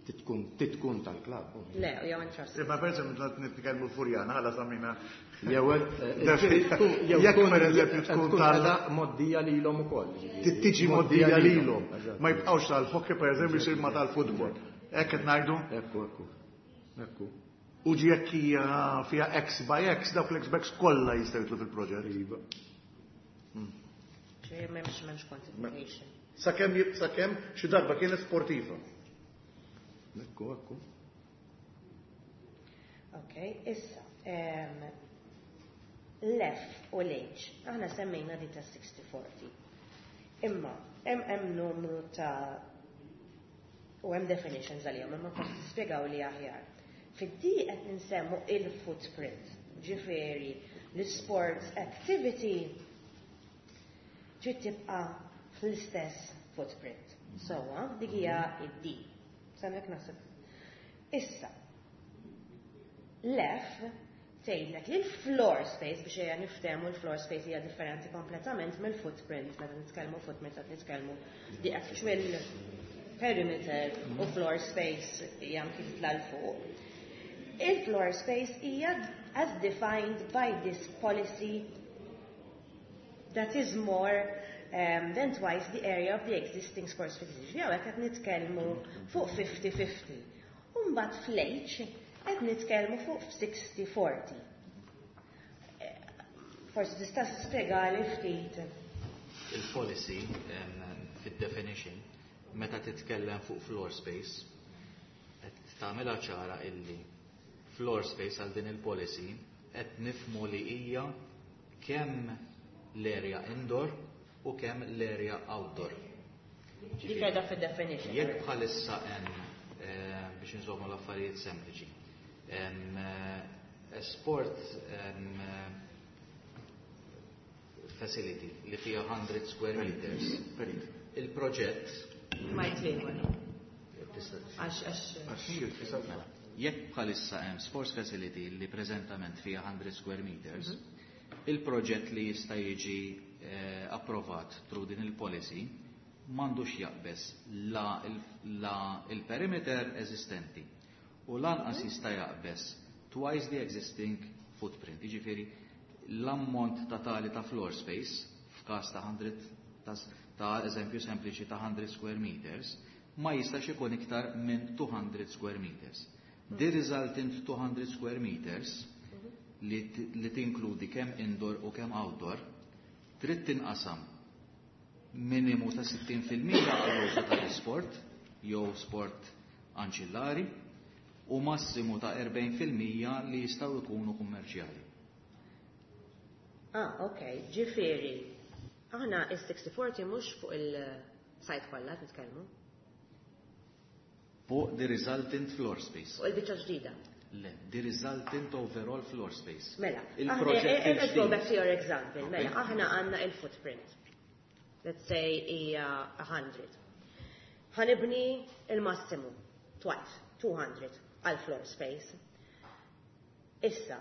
Tkun tal-klabb. Le, jew entrusted. Imma per eżempju nitkellmu Furjana għala samina. Jew Jekk per eżempju tkun tal moddija lilhom ukoll. Tiġi moddija lilhom. Ma jibqgħux tal-hockey, per eżempju jsir ma tal-futbol. Hekk qed ngħidu? Ekku. U ġi jekk hija fiha X by X, dawk l-X by X kollha jistgħu jidħlu fil-proġett. Iva. Ġej m'hemmx quantification. Sakemm xi darba kienet sportiva. Ekku. Ok, issa. L-F u l-H, aħna semmejna di ta' 60-40. Imma hemm numru ta' u hemm definitions għalihom, imma forsi tispjegaw li aħjar. Fid-D qed nsemmu il-footprint, ġifieri l-sports activity trid tibqa' fl-istess footprint. Sewwa, dik hija id-D. S'hemmhekk naħseb. Issa, l-F tgħidlek li l-floor space, biex ejja niftehmu, l-floor space hija differenti kompletament mill-footprint. Meta nitkellmu footprint qed nitkellmu the actual perimeter, u floor space hija anki titla' 'l fuq. Il-floor space hija as defined by this policy that is more than twice the area of the existing sports facility. Hawnhekk qed nitkellmu fuq 50-50. U mbagħad fl-H qed nitkellmu fuq 60-40. Forsi tista' tispjegali ftit. Il-policy fid-definition, meta titkellem fuq floor space, qed tagħmilha ċara illi floor space għal din il-policy qed nifhmu li hija kemm l-area indoor u kemm l-area outdoor. Dik qiegħda fid-definition. Jekk bħalissa hemm, biex nżommu l-affarijiet sempliċi, sport facility li fija 100 square meters, il-proġett Ma jtliegħu. Għax Mela, jekk bħalissa hemm sports facility li preżentament fija 100 square meters, il-proġett li jista' jiġi approvat through din il-policy m'għandux jaqbeż la il-perimeter eżistenti u lanqas jista' jaqbeż twice the existing footprint. Jiġifieri l-ammont totali ta' floor space f'każ ta' 100, ta' eżempju sempliċi ta' 100 square meters, ma jistax ikun iktar minn 200 square meters. The resultant 200 square meters li tinkludi kemm indoor u kemm outdoor trid tinqasam minimu ta' 60% għall-użu tal-isport jew sport anċillari u massimu ta' 40% li jistgħu jkunu kummerċjali. Ah, ok, ġifieri. Aħna is-60-40 mhux fuq il-site kollha nitkellmu. Fuq the resultant floor space. Fuq il-biċċa ġdida. Le, the resultant overall floor space. Mela, Il-proġett let's go il-ġdid. Back to your example. Mela, aħna għandna il-footprint. Let's say hija 100. Ħa nibni il-massimu, twice, 200 għal floor space. Issa,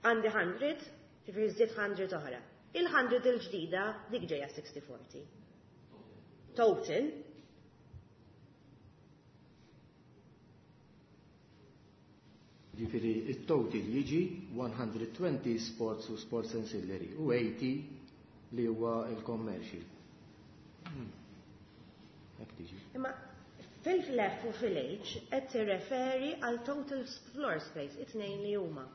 għandi 100, ġifieri żied 100 oħra. Il-100 il-ġdida dik ġejja 60-40. Total. Ġifieri, il-total jiġi 120 sports u sports ancillary u 80 li huwa il-commercial. Hekk tiġi. Imma fil-F u fil-H qed tirreferi għal total floor space, it-tnejn li huma.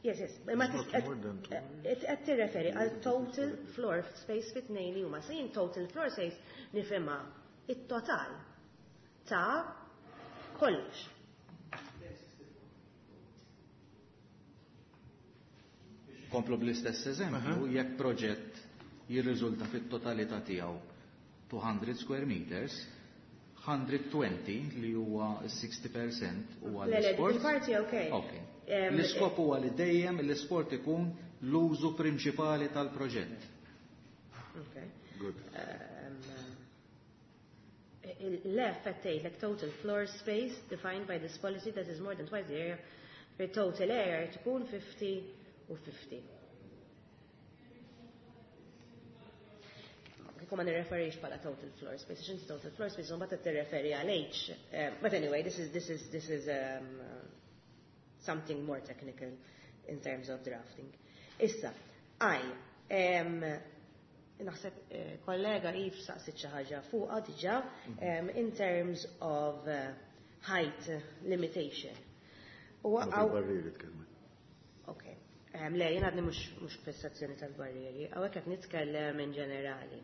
Yes. Imma qed tirreferi għal total floor space fit-tnejn li huma. Se jien total floor space nifhimha it-total ta' kollox. Komplu bl-istess eżempju, jekk proġett jirriżulta fit-totalità tiegħu 200 square meters, 120 li huwa 60% huwa Le, l-sport. Il-parti ok. Ok. L-iskop huwa li dejjem l-isport ikun l-użu prinċipali tal-proġett. Ok. Good. Il-F qed tgħidlek total floor space defined by this policy that is more than twice the area, the total area tkun 50 u 50. Kieku ma nirreferix bħala total floor space, għax inti total floor space mbagħad qed tirreferi għal H. But anyway, this is something more technical in terms of drafting. Issa, I, naħseb kollega Yves saqsit xi ħaġa fuqha diġà in terms of height limitation. U Ma fil-barrieri tkellmet. Ok. Le, jien għadni mhux fissazzjoni tal-barrieri, hawnhekk qed nitkellem in ġenerali.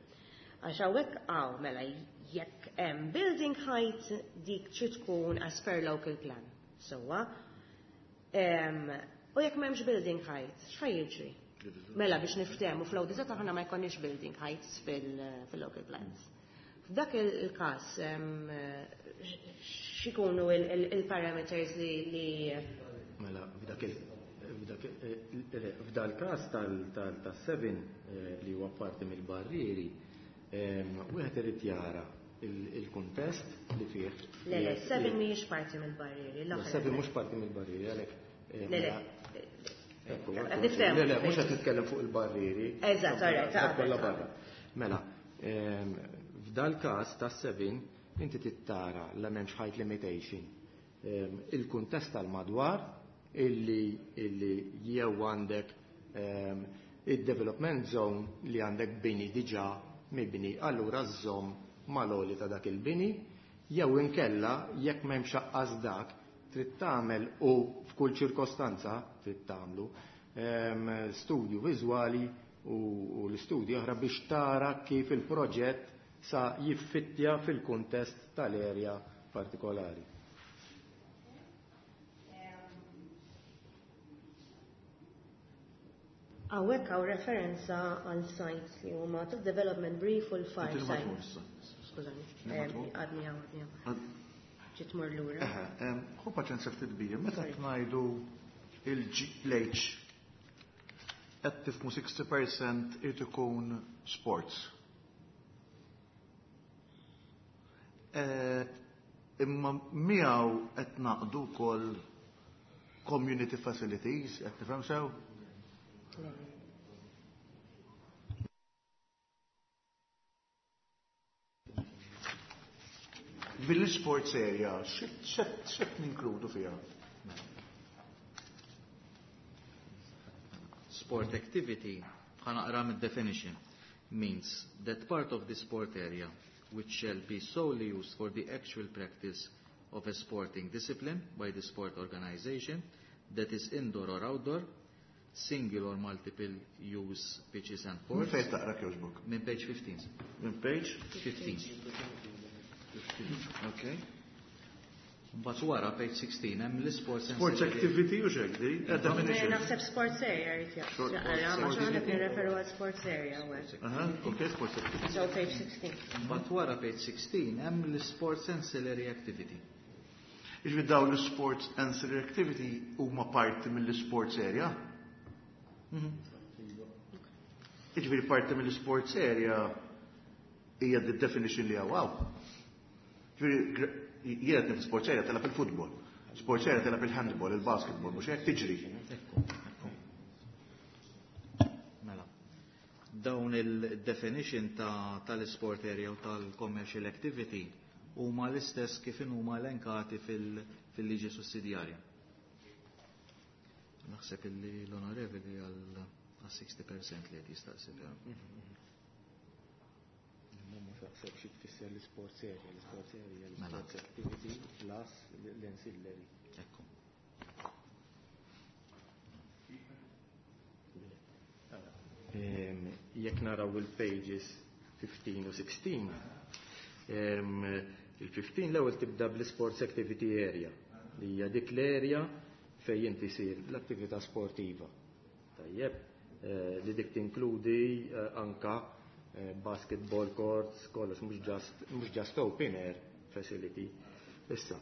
Għax hawnhekk hawn mela jekk hemm building height dik trid tkun as per local plan. Sewwa. U jekk m'hemmx building height, x'ħa jiġri? Mela biex niftehmu fl-ODZ aħna ma jkollniex building heights fil-local plans. F'dak il-każ x'ikunu il-parameters li Mela, f'dak il f'dal każ tal-7 li huwa parti mill-barrieri, wieħed irid jara il-kuntest li fih. Le, le, 7 mhijiex parti mill-barrieri. 7 mhux parti mill-barrieri, għalhekk. Le, le. Le, le, mhux qed nitkellem fuq il-barrieri. Eżatt, alright. Kollha barra. Mela, f'dal każ tas-7 inti tittara la m'hemmx height limitation. Il-kuntest tal-madwar illi jew għandek il-development zone li għandek bini diġà mibni, allura żżomm mal-għoli ta' dak il-bini, jew inkella jekk m'hemmx aqqas dak trid tagħmel u f'kull ċirkostanza trid tagħmlu studju viżwali u l-istudju oħra biex tara kif il-proġett sa jiffittja fil-kuntest tal-erja partikolari. Hawnhekk hawn referenza għal sites li huma tal-development brief u l-far sites. Skużani, għadni hawn, għadni hawn. Ġiet mur lura. Ħu paċenzja ftit bija, meta ngħidu il-H qed tifhmu 60% irid ikun sports. Imma miegħu qed naqdu wkoll community facilities, qed tifhem sew? Bil-sports area, x'qed ninkludu fiha? Sport activity, ħa naqra mid-definition, means that part of the sport area which shall be solely used for the actual practice of a sporting discipline by the sport organization, that is indoor or outdoor, single or multiple use pitches and courts. Minn fejn taqra kjoġbok? Minn page 15. Minn page? 15. Okay. Mbagħad wara page 16 hemm l-sports and Sports activity u xek di? Definition. Naħseb sports area jrid jaqra, ma xi ħadd nirreferu għal sports area hawnhekk. Aha, okay, sports activity. So page 16. Mbagħad wara page 16 hemm l-sports ancillary activity. Jiġifieri dawn l-sports ancillary activity huma parti mill-sports area? Jiġifieri parti mill-sports area hija the definition li hawn. Jiġifieri jiena qed sports area telab il-futbol, sports area telab il-handball, il-basketball, mhux hekk tiġri. Mela. Dawn il-definition tal-sport area u tal-commercial activity huma l-istess kif huma elenkati fil-liġi sussidjarja. Naħseb illi l-onorevoli għal 60% li qed jistaqsi. Mhux naħseb xi tfisser l-sports area, l-sports area, l-sports activity plus l-ancillary. Ekku. Jekk naraw il-pages 15 u 16, il-15 l-ewwel tibda bl-sports activity area, li hija dik l-area fejn inti jsir l-attività sportiva. Tajjeb, li dik tinkludi anka basketball courts, kollox, mhux just open air facility. Issa,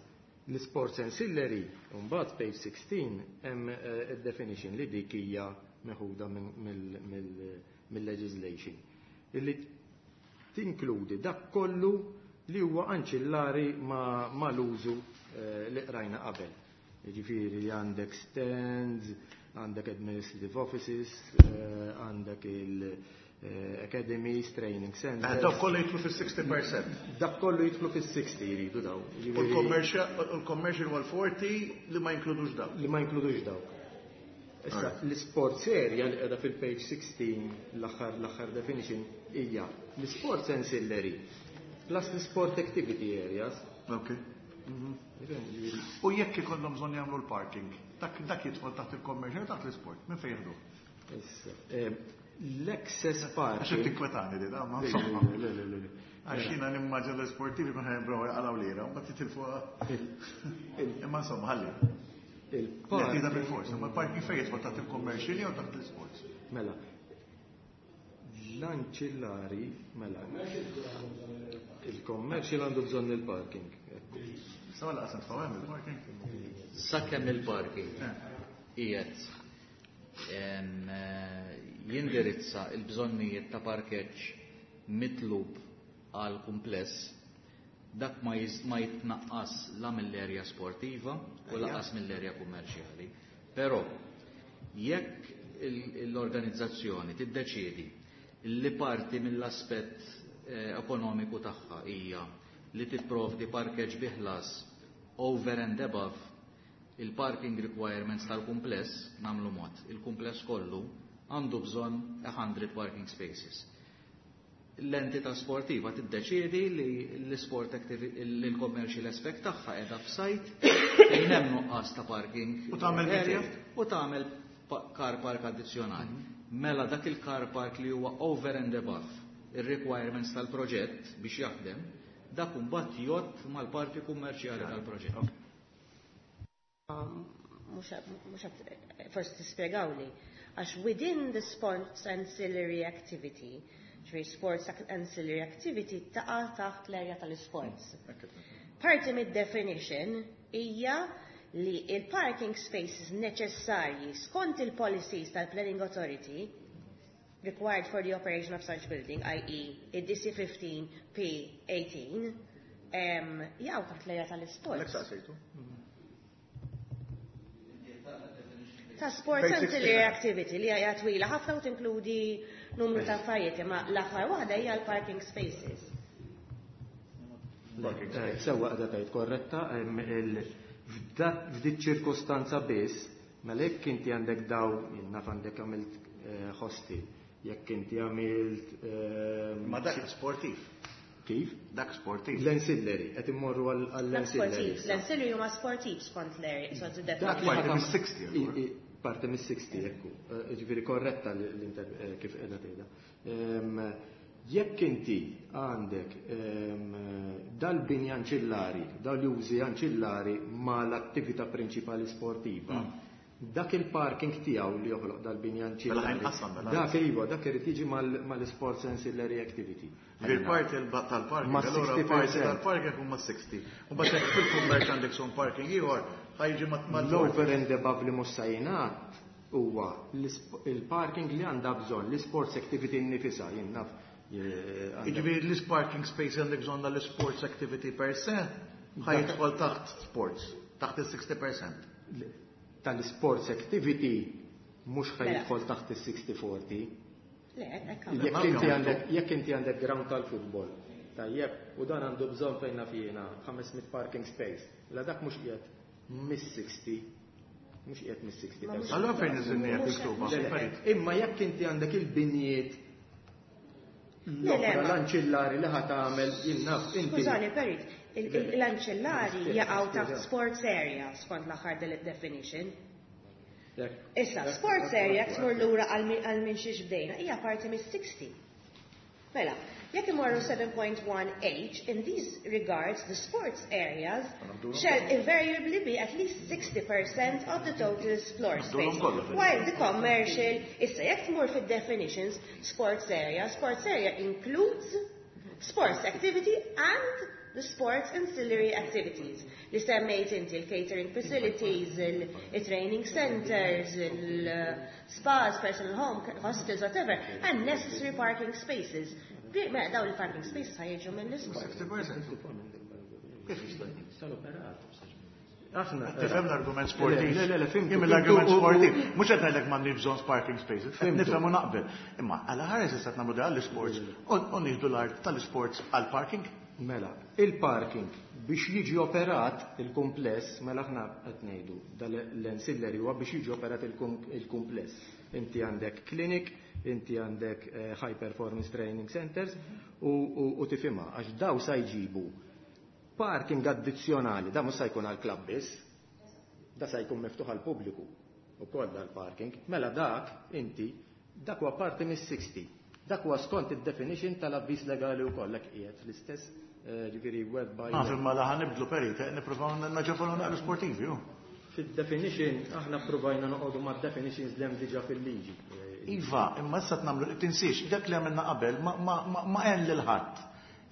l-sports ancillary, mbagħad page 16 hemm definition li dik hija meħuda mill-legislation. Illi tinkludi dak kollu li huwa anċillari mal-użu li qrajna qabel. Jiġifieri li għandek stands, għandek administrative offices, għandek il-academies, training centers. Dak kollu jidħlu fis-60%. Dak kollu jidħlu fis-60 jridu daw. U l-commercial huwa l-40 li ma jinkludux daw. Li ma jinkludux daw. Issa, l-sports area li qiegħda fil-page 16 l-aħħar definition hija l-sports ancillary plus l-sport activity areas. Okay. U jekk ikollhom bżonn jagħmlu l-parking, dak jidħol taħt il-commercial taħt l-sport, minn fejn jieħdu? Issa, l-access parking. Għax qed tinkwetani di, ma insomma. Le, le, le, le. Għax jiena nimmaġina l-sportivi kun ħajbrow jaqalgħu lira, u mbagħad jitilfu. Imma insomma, ħalli. Il-parking. Jgħidha bil-fors, imma l-parking fejn jidħol taħt il-commercial jew taħt l-sports? Mela, l-anċillari, mela, il-commercial għandu bżonn il-parking. Sawa laqas nitfgħu hemm il-parking. Sakemm il-parking qiegħed jindirizza il-bżonnijiet ta' parkeġġ mitlub għal kumpless, dak ma jitnaqqas la mill-erja sportiva u lanqas mill-erja kummerċjali. Però jekk l-organizzazzjoni tiddeċiedi li parti mill-aspett ekonomiku tagħha hija li tipprovdi parkeġġ bi ħlas over and above il-parking requirements tal-kumpless, nagħmlu mod, il-kumpless kollu għandu bżonn 100 parking spaces. L-entità sportiva tiddeċiedi li l-sport l-commercial aspect tagħha qiegħda f'site fejn hemm nuqqas ta' parking U tagħmel area u tagħmel car park addizzjonali. Mela dak il-car park li huwa over and above il-requirements tal-proġett biex jaħdem, dak imbagħad jgħodd mal-parti kummerċjali tal-proġett. Mhux forsi tispjegawli, għax within the sports ancillary activity, ġifieri sports ancillary activity taqa' taħt l-area tal-sports. Parti mid-definition hija li il-parking spaces neċessarji skont il-policies tal-Planning Authority required for the operation of such building, i.e. id-DC15 P18, jaqgħu taħt l-area tal-sports. Lek saqsejtu. Ta' sports Basic ancillary statement. Activity li hija twila ħafna u tinkludi numru ta' affarijiet, imma l-aħħar waħda hija l-parking spaces. Sewwa qiegħda tgħid korretta, f'dik ċirkostanza biss, mela jekk inti għandek daw, jien naf għandek għamilt hostel, jekk inti għamilt Ma dak sportiv. Kif? Dak sportiv. L-ancillary, qed immorru Dak għall-ancillary. sportiv. L-ancillary huma sportiv skont l-area, so the Dak li definition. Parti ħatam- mis-60, allura. Parti mis-60, ekku. Ġifieri korretta kif qiegħda tgħidha. Jekk inti għandek dal-bini anċillari, dal-użi anċillari ma l-attività prinċipali sportiva, dak il-parking tiegħu li joħloq dal-bini Mela anċillari, ħajnqasam, mela. dak iva, dak irid jiġi mal-sports ancillary activity. Ġifieri parti tal-parking, Ma' allura 60%. parti tal-parking huma 60. U mbagħad jekk fil-kummerċ għandek son parking ieħor, ħa jiġi ma' L-over and above li mhux se jingħad huwa il-parking li għandha bżonn, l-sports activity nnifisha, jien naf. Jiġifieri l-parking space għandek bżonn l-sports activity per se, ħa jidħol taħt sports, taħt il-60%. Tal-sports activity mhux Mela. ħa jidħol taħt il-60-40. Le, hekk għamlu. Jekk inti għandek ground tal-futbol, tajjeb, u dan għandu bżonn fejn naf jiena 500 parking space, la dak mhux qiegħed mis-60, mhux qiegħed mis-60. Ma mhux- Allora fejn iżinni qed miktuba? Le, le, imma jekk inti għandek il-binjiet Le, le, l-oħra l-anċillari li ħa tagħmel jien naf inti. Skużani, Perit, l-anċillari jaqgħu taħt sports area skont l-aħħar definition. Issa, sports area tmur lura għal minn xiex bdejna, hija parti mis-60. Mela, jekk imorru 7.1H, in these regards, the sports areas shall invariably be at least 60% of the total floor space. kollha, fil- While the commercial, issa jekk tmur fid-definitions, sports area, sports area includes sports activity and the sports ancillary activities. Li semmejt inti il-catering facilities, il-training centers, il-spas, personal home, hostels, whatever, and necessary parking spaces. Mela daw il-parking spaces ħa jiġu mill-sport. 60%. Kif jista' Sal-operat. Aħna. Tifhem l-argument sportiv. Le, le, le, fhimtu. Jien l-argument Fhimtu, sportiv. Mhux qed ngħidlek m'għandix bżonn parking spaces. Qed Fhimtu. nifhem u naqbel. Imma għala ħares issa nagħmlu għall-sports u nieħdu l-art tal-sports għall-parking. Mela, il-parking biex jiġi operat il-kumpless, mela aħna qed ngħidu dal-ancillary huwa biex jiġi operat il-kumpless. Inti għandek clinic, inti għandek high performance training centers u tifhimha għax daw sa jġibu parking addizzjonali, da mhux sa jkun għall-klabb biss, da sa jkun miftuħ għall-pubbliku ukoll dal-parking. Mela dak inti dak huwa parti mis-60. Dak huwa skont id-definition tal-avviż legali wkoll hekk qiegħed fl-istess ġifieri word by Naf imma la ħa nibdlu perit, nippruvaw naġevolu naqra sportivi, ju. Fid-definition aħna provajna noqogħdu mad-definitions li hemm diġà fil-liġi. Iva, imma issa nagħmlu tinsiex, dak li għamilna qabel ma għen lil ħadd.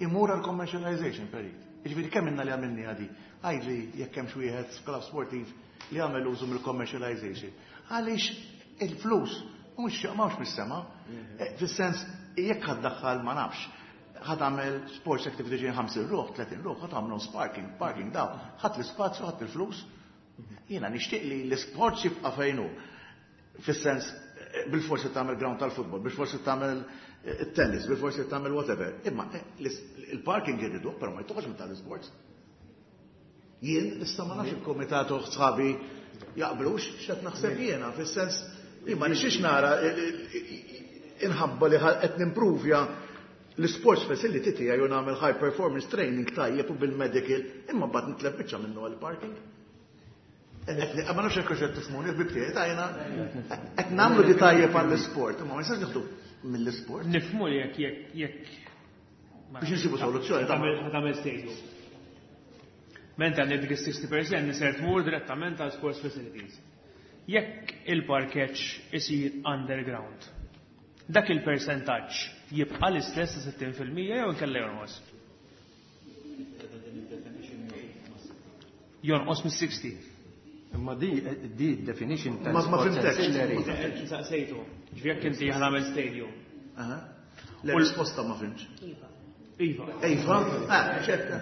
Imur għal commercialization, perit. Jiġifieri kemm inna li għamilni għadi? Għidli jekk hemm xi wieħed klabb sportiv li għamel użu mill-commercialization. Għaliex il-flus mhux mhux mis-sema. Fis-sens jekk ħa ddaħħal ma nafx, ħa tagħmel sports activity ġejjin 50 ruħ, 30 ruħ, ħa tagħmlu parking, parking daw, ħadd l-ispazju, ħadd il-flus. Jiena nixtieq li l-sports jibqa' fejn hu. Fis-sens bil-forsi tagħmel ground tal-futbol, bil-forsi tagħmel tennis, bil-forsi tagħmel whatever. Imma il-parking irridu, però ma jtoħx minn tal-sports. Jien issa ma nafx il-komitat u sħabi jaqblux x'qed naħseb jiena, fis-sens jien ma nixix nara inħabba li qed nimprovja l-sports facility tiegħi u nagħmel high performance training tajjeb u bil-medical, imma mbagħad nitlef biċċa minnu għall-parking. Ma nafx hekk qed tifhmuni, ħbib tiegħi tajna qed nagħmlu di tajjeb għall-isport, imma ma nistax nieħdu mill-isport. Nifhmu li jekk biex insibu soluzzjoni. Tagħmel stadium. Menta għandek dik is-60% niser tmur direttament għal sports facilities. Jekk il-parkeġġ isir underground, dak il-percentaġġ jibqa' l-istess ta' 60% jew inkella jonqos? Jonqos mis-60. Imma di definition ta' Ma sports fhimtekx. ancillary. Saqsejtu. Ġifieri jekk inti ħa tagħmel stadium. Aha. Le risposta ma fhimtx. Iva. Iva. Iva, ah, ċerta.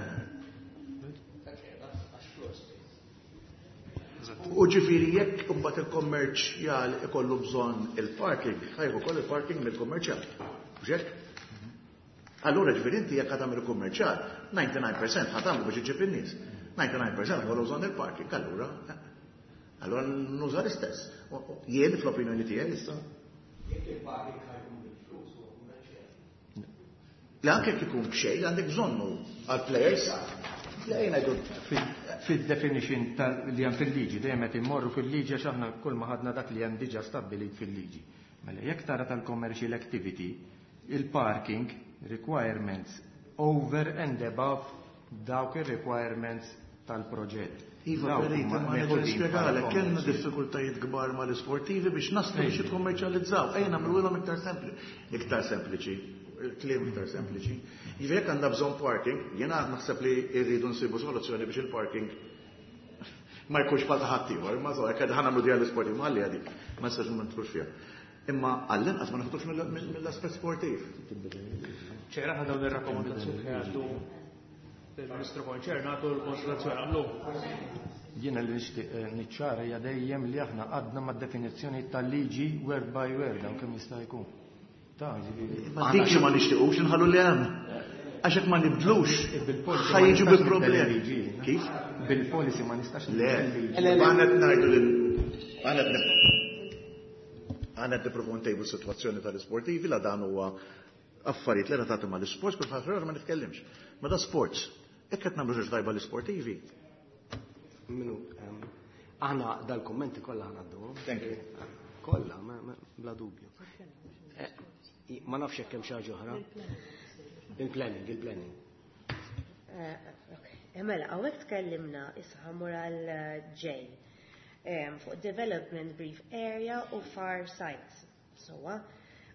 U ġifieri jekk imbagħad il-kommerċjal ikollu bżonn il-parking, ħa jieħu ukoll il-parking mill-kummerċjal. Mhux hekk? Allura ġifieri inti jekk ħa tagħmel il-kummerċjal, 99% ħa tagħmlu biex iġib in-nies. 99% ħa bżonn il-parking, allura allura nuża l-istess. Jien fl-opinjoni tiegħi issa. Jekk il-parking ħa jkun bil-flus huwa kummerċjal. Le anke jekk ikun b'xejn għandek bżonnu għal-players. Le jien ngħidu Fil-definition li hemm fil-liġi, dejjem qed immorru fil-liġi għax aħna kull ma ħadna dak li hemm diġà stabbilit fil-liġi. Mela jekk tara tal-commercial activity, il-parking requirements over and above dawk il-requirements tal-proġett. Iva, Dawk Perit, huma ma nerġa' meħudin nispjegalek, bħala kellna commercial. diffikultajiet kbar mal-isportivi biex naslu biex jikkommerċjalizzaw. Ejja nagħmluhom iktar sempli. Iktar sempliċi, kliem iktar sempliċi. Jiġifieri jekk għandna bżonn parking, jiena naħseb li rridu nsibu soluzzjoni biex il-parking ma jkunx bħal ta' ħaddieħor, imma so, jekk ħa nagħmlu di għall-isportivi, ma ħalli għadik, ma nistax ma nidħlux fiha. Imma għall-inqas ma naħdux mill-aspett sportiv. ċera ħa dawn ir-rakkomandazzjoni li għaddu il-Ministru konċernatu l-konsultazzjoni għamlu. Jiena li nixtieq niċċara hija dejjem li aħna għadna mad-definizzjoni tal-liġi word by word hawn kemm jista' jkun. Ta' ġifieri. Ma dik li ma nixtiequx inħallu li hemm. Għax hekk ma nibdlux, Bil-policy ħa ma jiġu nistax bil-problemi. nibdel il-liġi. Kif? Bil-policy ma nistax Le, nibdel il-liġi. aħna qed ngħidu lil aħna qed nippruvaw ntejbu s-sitwazzjoni tal-isportivi la dan huwa affarijiet li relatati mal-isports, kif ħafna ma nitkellimx. Ma da sports, jekk qed nagħmlu xi tajba l-isportivi. Minu, aħna dal-kommenti kollha għaddu. Thank you. Kollha, bla dubju. Ma nafx jekk hemm xi ħaġa oħra. Il-planning, il-planning. Ok. Mela, hawnhekk tkellimna issa ħa mmur għal J. Fuq development brief area u far sites. Sowa.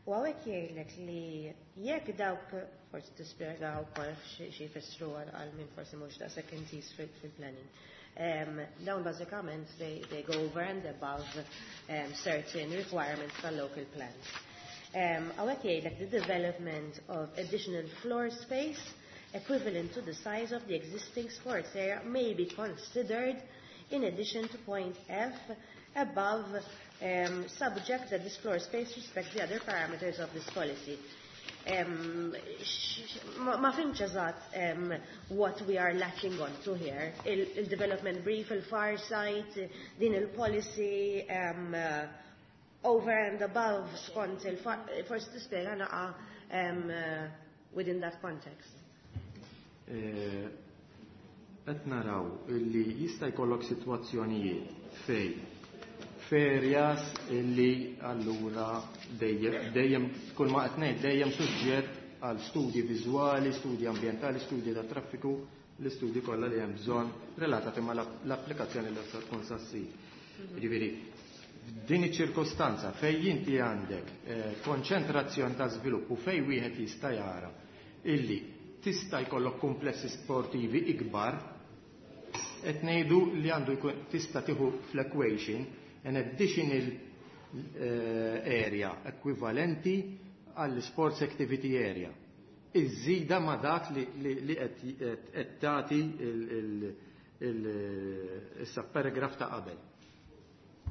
U hawnhekk jgħidlek li jekk dawk forsi tispjegaw ukoll xi jfissru għal min forsi mhux daqshekk intiż fil-planning. Dawn bażikament they go over and above certain requirements tal-local plans. Hawnhekk jgħidlek the development of additional floor space equivalent to the size of the existing sports area may be considered in addition to point F above, subject that this floor space respects the other parameters of this policy. Ma fhimtx eżatt what we are latching on to here. Il-development brief, il-far site, din il-policy, over and above skont il-far, forsi tispjega naqa within that context. Qed naraw illi jista' jkollok sitwazzjonijiet fej f'areas illi allura dejjem kull ma qed ngħid dejjem suġġett għal studji viżwali, studji ambjentali, studji ta' traffiku, l-istudji kollha li hemm bżonn relatati ma' l-applikazzjoni li se tkun sa ssir. Jiġifieri F'din iċ-ċirkostanza fejn inti għandek konċentrazzjoni ta' żvilupp u fejn wieħed jista' jara illi tista' jkollok komplessi sportivi ikbar, qed ngħidu li għandu jkun tista' tieħu fl-equation an additional area ekwivalenti għall sports activity area. Iżida ma dak li qed tagħti il-subparagraph ta' qabel.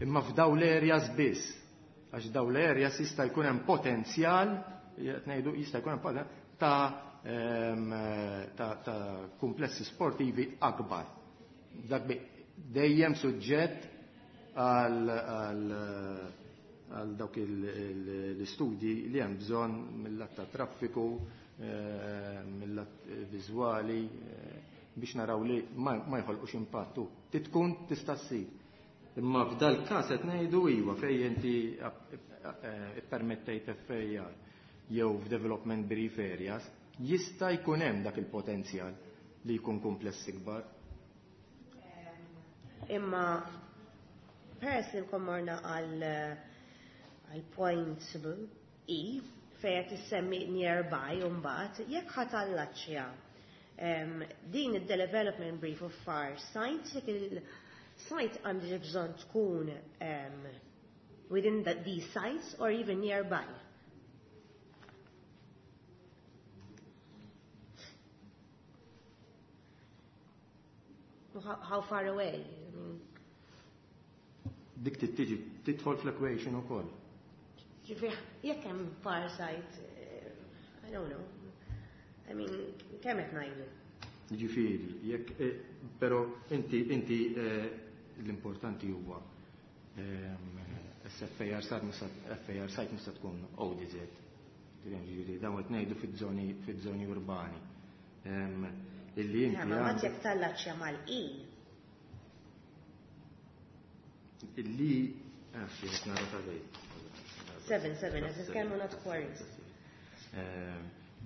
Imma f'daw l-areas biss, għax daw l-areas jista' jkun hemm potenzjal, qed ngħidu jista' jkun hemm potenzjal ta' komplessi sportivi akbar. Dak dejjem suġġett għal dawk l-istudji li hemm bżonn mill-lat ta' traffiku, mill-lat viżwali, biex naraw li ma jħolqux impattu. Titkun tista' ssir. Imma f'dal każ qed ngħidu iva fejn inti ippermettejt FAR jew f'development brief areas, jista' jkun hemm dak il-potenzjal li jkun kumpless ikbar. Imma peress li nkun morna għal point E fejn qed issemmi nearby u mbagħad jekk ħa tallaċċja din id-development brief of far sites, jekk il-site għandi bżonn tkun within these sites or even nearby. How far away? I mean, Dik tiġi tidħol fl-equation ukoll. Ġifieri, jekk hemm far site, I don't know. I mean, kemm qed ngħidu? Ġifieri, jekk però inti l-importanti huwa SFAR site mhux FAR site mhux tkun ODZ. Ġifieri dawn qed ngħidu fiż-żoni urbani. Illi inti Ma għandek jekk tallaċċja mal-E. Illi xi qed nara ta' dej. 7, 7, qed nitkellmu not quarries.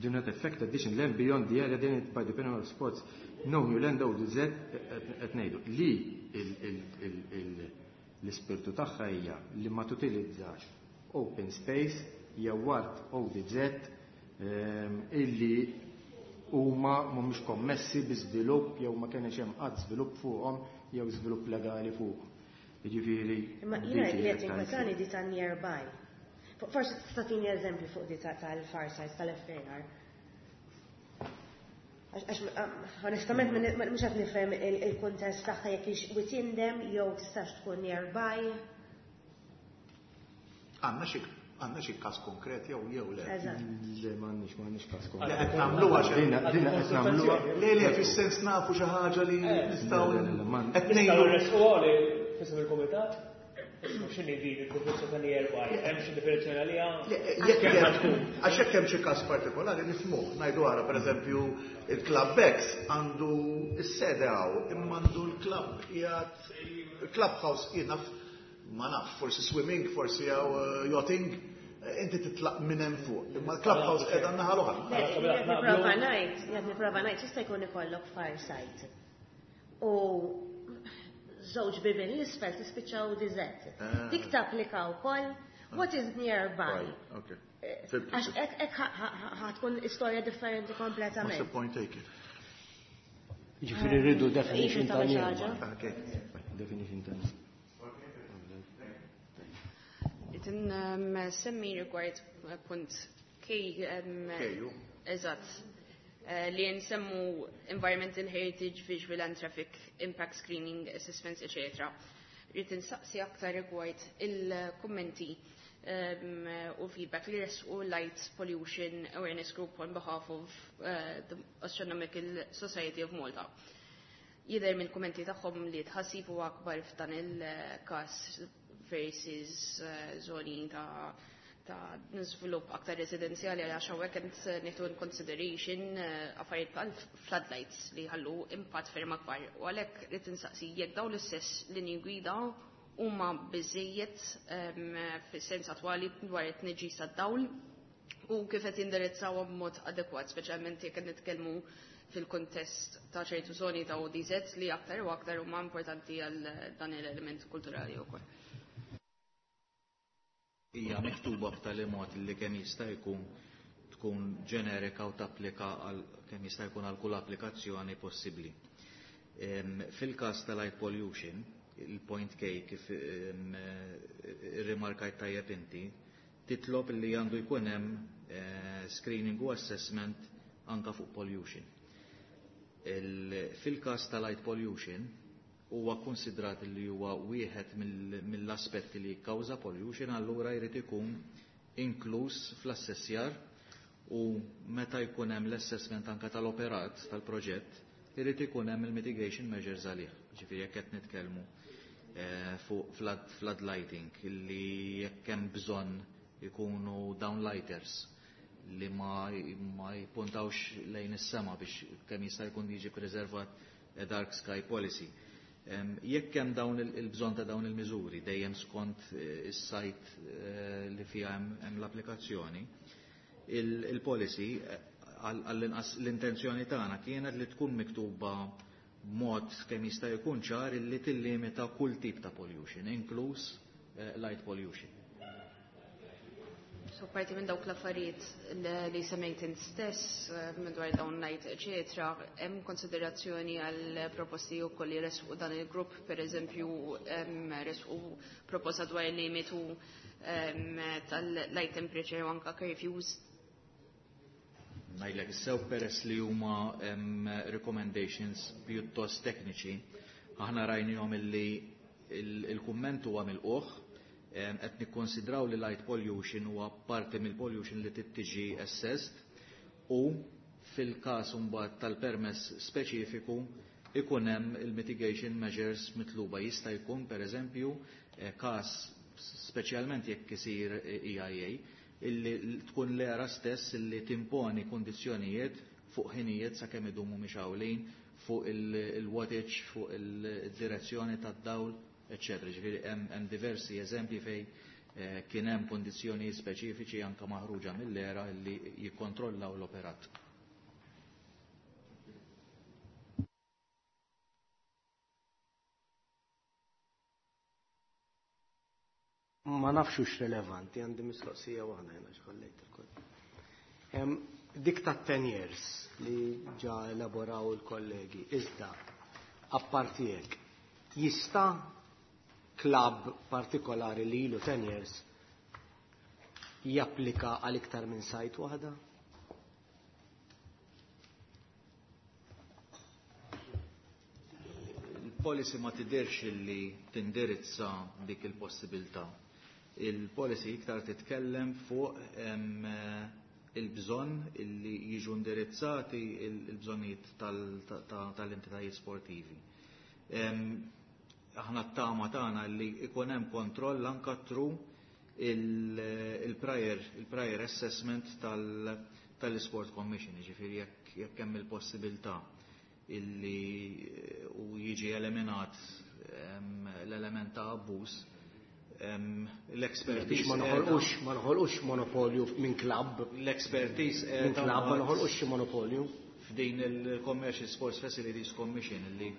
Do not affect addition land beyond the area delineated by the panel of sports. No new land ODZ qed ngħidu li l-ispirtu tagħha hija li ma tutilizzax open space jew art ODZ illi huma mhumiex kommessi bi żvilupp jew ma kienx hemm qatt żvilupp fuqhom jew żvilupp legali fuqhom. Jiġifieri Imma dik jiena hija li qed l-iktar inkwetani di ta' nearby. Forsi tista' tini eżempju fuq di tal-far sites tal-FAR. Għax onestament mhux qed nifhem il-kuntest tagħha jekk hix within them jew tistax tkun nearby. Għandna xi każ konkret jew le? Eżatt. Le, m'għandniex każ konkret. Le, qed nagħmluha xi Dina qed nagħmluha. Le, le, fis-sens nafu xi ħaġa li nistgħu Le, le, le, ma qed Nistgħu ngħidu. nresqu għali fisem il-kumitat? X'inhi din il-definizzjoni ta' nearby? Hemm xi definizzjoni għaliha? Le, jekk Kemm hemm tkun? Għax jekk hemm xi każ partikolari nifhmuh. Ngħidu ara pereżempju il-Club X għandu s-sede hawn, imma għandu l-club qiegħed il-clubhouse jien naf ma nafx, forsi swimming, forsi hawn yachting, inti titlaq minn hemm fuq. Imma l-clubhouse qiegħda n-naħa l-oħra. Le, jekk nipprova ngħid, jekk nipprova ngħid, jista' jkun ikollok far site. U żewġ bibien l-isfel tispiċċaw ODZ. Dik tapplika wkoll what is nearby. Right, okay. Għax hekk ħatkun istorja differenti kompletament. What's the point taken? Ġifieri rridu definition Iġi ta' ta' nearby. ħaġa. Okay. Definition ta' nearby. Itin semmi rigward punt K. K, ju. Eżatt. Li nsemmu environmental heritage, visual and traffic impact screening, assessments, etc. Rrid insaqsi aktar rigward il-kummenti u feedback li resqu Light Pollution Awareness Group on behalf of the Astronomical Society of Malta. Jidher mill-kummenti tagħhom li tħassib huwa akbar f'dan il-każ versus zoni ta' żvilupp aktar residenzjali għax hawnhekk qed nieħdu in consideration affarijiet bħal floodlights li ħallu impatt ferm akbar. U għalhekk rrid insaqsi jekk dawn l-istess linji gwida huma biżejjed fis-sens attwali dwar it-tniġġis tad-dawl u kif qed jindirizzawhom b'mod adekwat, speċjalment jekk qed nitkellmu fil-kontest ta' ċertu zoni ta' ODZ li aktar u aktar huma importanti għal dan l-element kulturali wkoll. Hija miktuba b'tali mod li kemm jista' jkun tkun ġenerika u tapplika għal kemm jista' jkun għal kull applikazzjoni possibbli. Fil-każ tal-light pollution, il-point K kif rimarkajt tajjeb inti, titlob li għandu jkun hemm screening u assessment anka fuq pollution. Fil-każ tal-light pollution, huwa konsidrat li huwa wieħed mill-aspetti li jikkawża pollution, allura jrid ikun inkluż fl-assessjar u meta jkun hemm l-assessment anka tal-operat tal-proġett, irid ikun hemm il-mitigation measures għalih. Ġifieri jekk qed nitkellmu fuq flood lighting, li jekk hemm bżonn ikunu downlighters li ma jpuntawx lejn is-sema biex kemm jista' jkun jiġi preservat a dark sky policy. Jekk hemm dawn il-bżonn ta' dawn il-miżuri dejjem skont is-site li fiha hemm l-applikazzjoni, il-policy għall-inqas l-intenzjoni tagħna kienet li tkun miktuba b'mod kemm jista' jkun ċar illi tillimita kull tip ta' pollution, inkluż light pollution. So parti minn dawk l-affarijiet li semmejt int stess, madwar dawn light, eċetera, hemm konsiderazzjoni għal proposti wkoll li resqu dan il-grupp, per eżempju, resqu proposta dwar il-limitu tal-light temperature u anka curfews. Ngħidlek sew peress li huma recommendations pjuttost tekniċi, aħna rajnihom illi il-kumment huwa mill-qoħ, qed nikkonsidraw li light pollution huwa parti mill-pollution li tittiġi assessed u fil-każ imbagħad tal-permess speċifiku ikun hemm il-mitigation measures mitluba. Jista' jkun pereżempju każ speċjalment jekk isir EIA illi tkun l-era stess illi timponi kondizzjonijiet fuq ħinijiet sakemm idumu mixgħulin, fuq il-wattage, fuq il-direzzjoni tad-dawl, eccetera. Ġifieri hemm diversi eżempji fej kien hemm kondizzjonijiet speċifiċi anke maħruġa mill-era illi jikkontrollaw l-operat. Ma nafx hux relevanti, għandi mistoqsija waħda jiena x'ħallejt il-koll. Dik ta' 10 years li ġa elaboraw il-kollegi, iżda apparti hekk, jista' klabb partikolari li ilu 10 years japplika għal iktar minn site waħda? Il-policy ma tidirx li tindirizza dik il-possibilità. Il-policy iktar titkellem fuq il-bżonn illi jiġu indirizzati il-bżonnijiet tal-entitajiet sportivi. Aħna t-tama tagħna li ikun hemm kontroll anka through il-prior assessment tal-Sport Commission, ġifieri jekk hemm il-possibilità illi u jiġi eliminat l-element ta' abbuż, l-expertise Biex ma noħolqux monopolju minn klabb. L-expertise Minn klabb ma noħolqux xi monopolju. F'din il-Commercial Sports Facilities Commission illi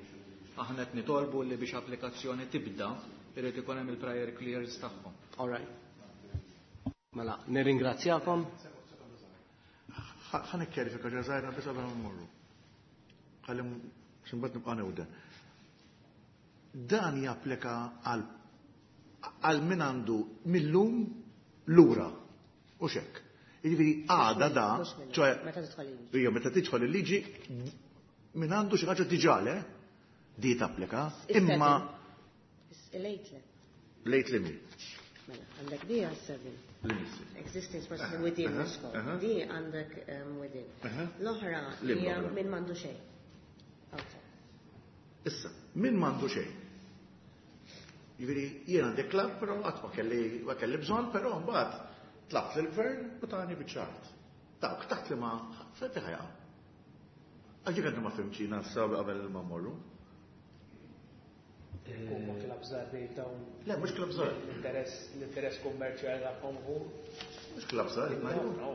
aħna qed nitolbu li biex applikazzjoni tibda irid ikun hemm il-prior clearance tagħhom. All right. Mela, nirringrazzjakom. Ħa nikkjarifika ġa żgħira biss qabel ma mmorru. Ħalli x'imbagħad nibqa' newden. Dan japplika għal min għandu millum lura. U xek. Jiġifieri għada da, ċoè Meta tidħol il-liġi. Ija, meta tidħol il-liġi, min għandu xi ħaġa diġà le, di tapplika, imma Late le. Late li min? Mela, għandek di għal 7. Li Existing sports within the scope. Di għandek within. L-oħra Li hija l-oħra? min m'għandu xejn. Outside. Issa, min m'għandu xejn? Jiġifieri jien għandi klabb, però qatt ma kelli bżonn, però mbagħad tlabt lill-gvern u tani biċ-ċart. Dawk taħt li ma fejn ħajaqa'. Għax dik għandi ma fhimtx jiena sa qabel ma mmorru. Huma klabb żgħar bejn dawn. Le, mhux klabb żgħar. L-interess kummerċjali tagħhom hu. Mhux klabb żgħar, ma No, no.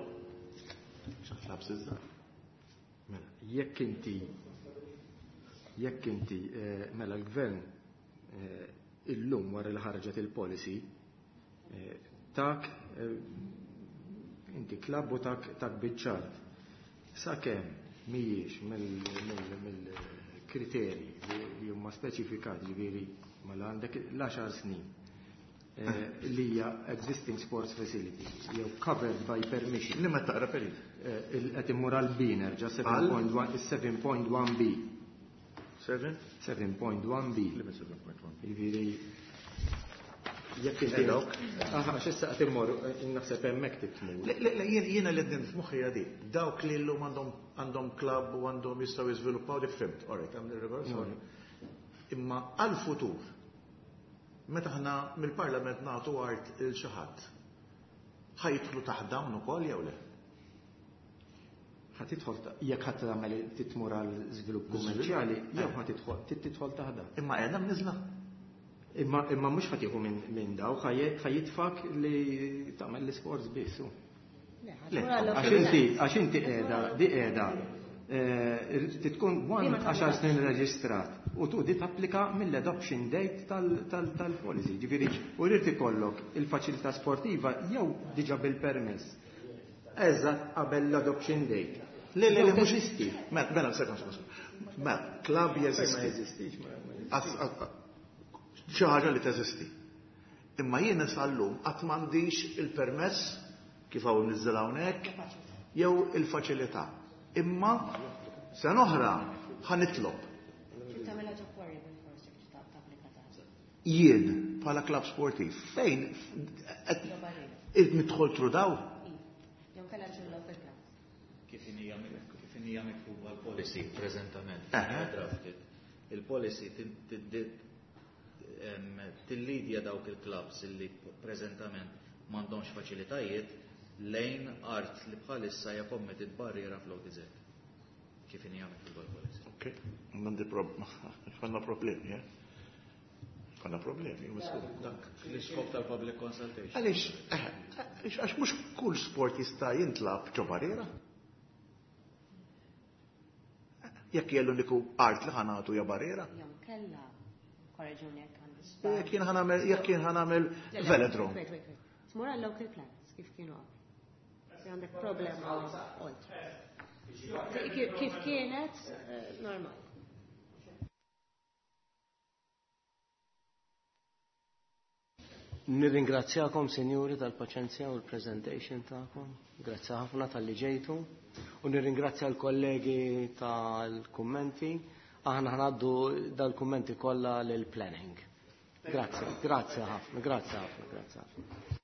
Mhux klabb żgħar. Mela, jekk inti mela l-gvern illum wara li ħarġet il-policy Tak inti klabb u tak biċ-ċart. Sakemm mhijiex mill-kriterji li huma speċifikati, ġifieri mela għandek l-10 snin li hija existing sports facility jew covered by permission. Li ma taqra perit? Qed immur għal B nerġa' 7.1 B. 7? 7.1 B. Li 7.1 B. Jiġifieri jekk inti. Aha, x'issa qed immur naħseb hemmhekk titmur. Le, le, jiena li qed f'moħħi di. Dawk li llum għandhom klabb u għandhom jistgħu jiżviluppaw dik fhimt. All right, għamil reverse. Imma għal-futur, meta aħna mill-Parlament nagħtu art il xi ħadd, ħa jidħlu taħt dawn ukoll jew le? Ħa tidħol jekk ħadd tagħmel titmur għal żvilupp kummerċjali, jew ħa tidħol tidħol taħt dawn. Imma qiegħda mniżla. Imma mhux ħa tieħu minn daw, ħa jitfak li tagħmel l-isports biss. Għax inti qiegħda, di qiegħda tkun 10 snin reġistrat u tu di tapplika mill-adoption date tal-policy. Ġifieri, u rrid ikollok il-faċilità sportiva jew diġà bil-permess. Eżatt qabel l-adoption date. Le, le, le, mhux jeżisti. Mela, mela, sekond, sekond. Mela, klabb jeżisti. Ma jeżistix, ma Xi ħaġa li teżisti. Imma jien sal-lum qatt m'għandix il-permess kif hawn niżel hawnhekk jew il-faċilità. Imma sena oħra ħa nitlob. Jien bħala klabb sportiv fejn qed nidħol through daw? Kif hija miktuba l-policy preżentament, drafted. Il-policy tillidja dawk il-clubs illi preżentament m'għandhomx faċilitajiet lejn art li bħalissa hija committed barriera fl-ODZ. Kif hija miktuba l-policy. Ok, m'għandi għandna problemi, eh? Għandna problemi, Dak l-iskop tal-public consultation. Għaliex, għax mhux kull sport jista' jintlab ġo barriera. Jekk hija l-uniku art li ħa nagħtu hija barriera. Jew kella, korreġuni jekk għandi Jekk jien ħa nagħmel, jekk jien ħa nagħmel velodrome. Wait, wait, wait. Tmur għal local plans, kif kienu qabel. Għandek problema oltre. Kif kienet normal. Nirringrazzjakom, sinjuri, tal-paċenzja u l-presentation tagħkom. Grazzi ħafna tal-li ġejtu. U nirringrazzja l-kollegi tal-kummenti. Aħna ħa ngħaddu dal-kummenti kollha lill-planning. Grazzi, grazzi ħafna, grazzi ħafna, grazzi ħafna.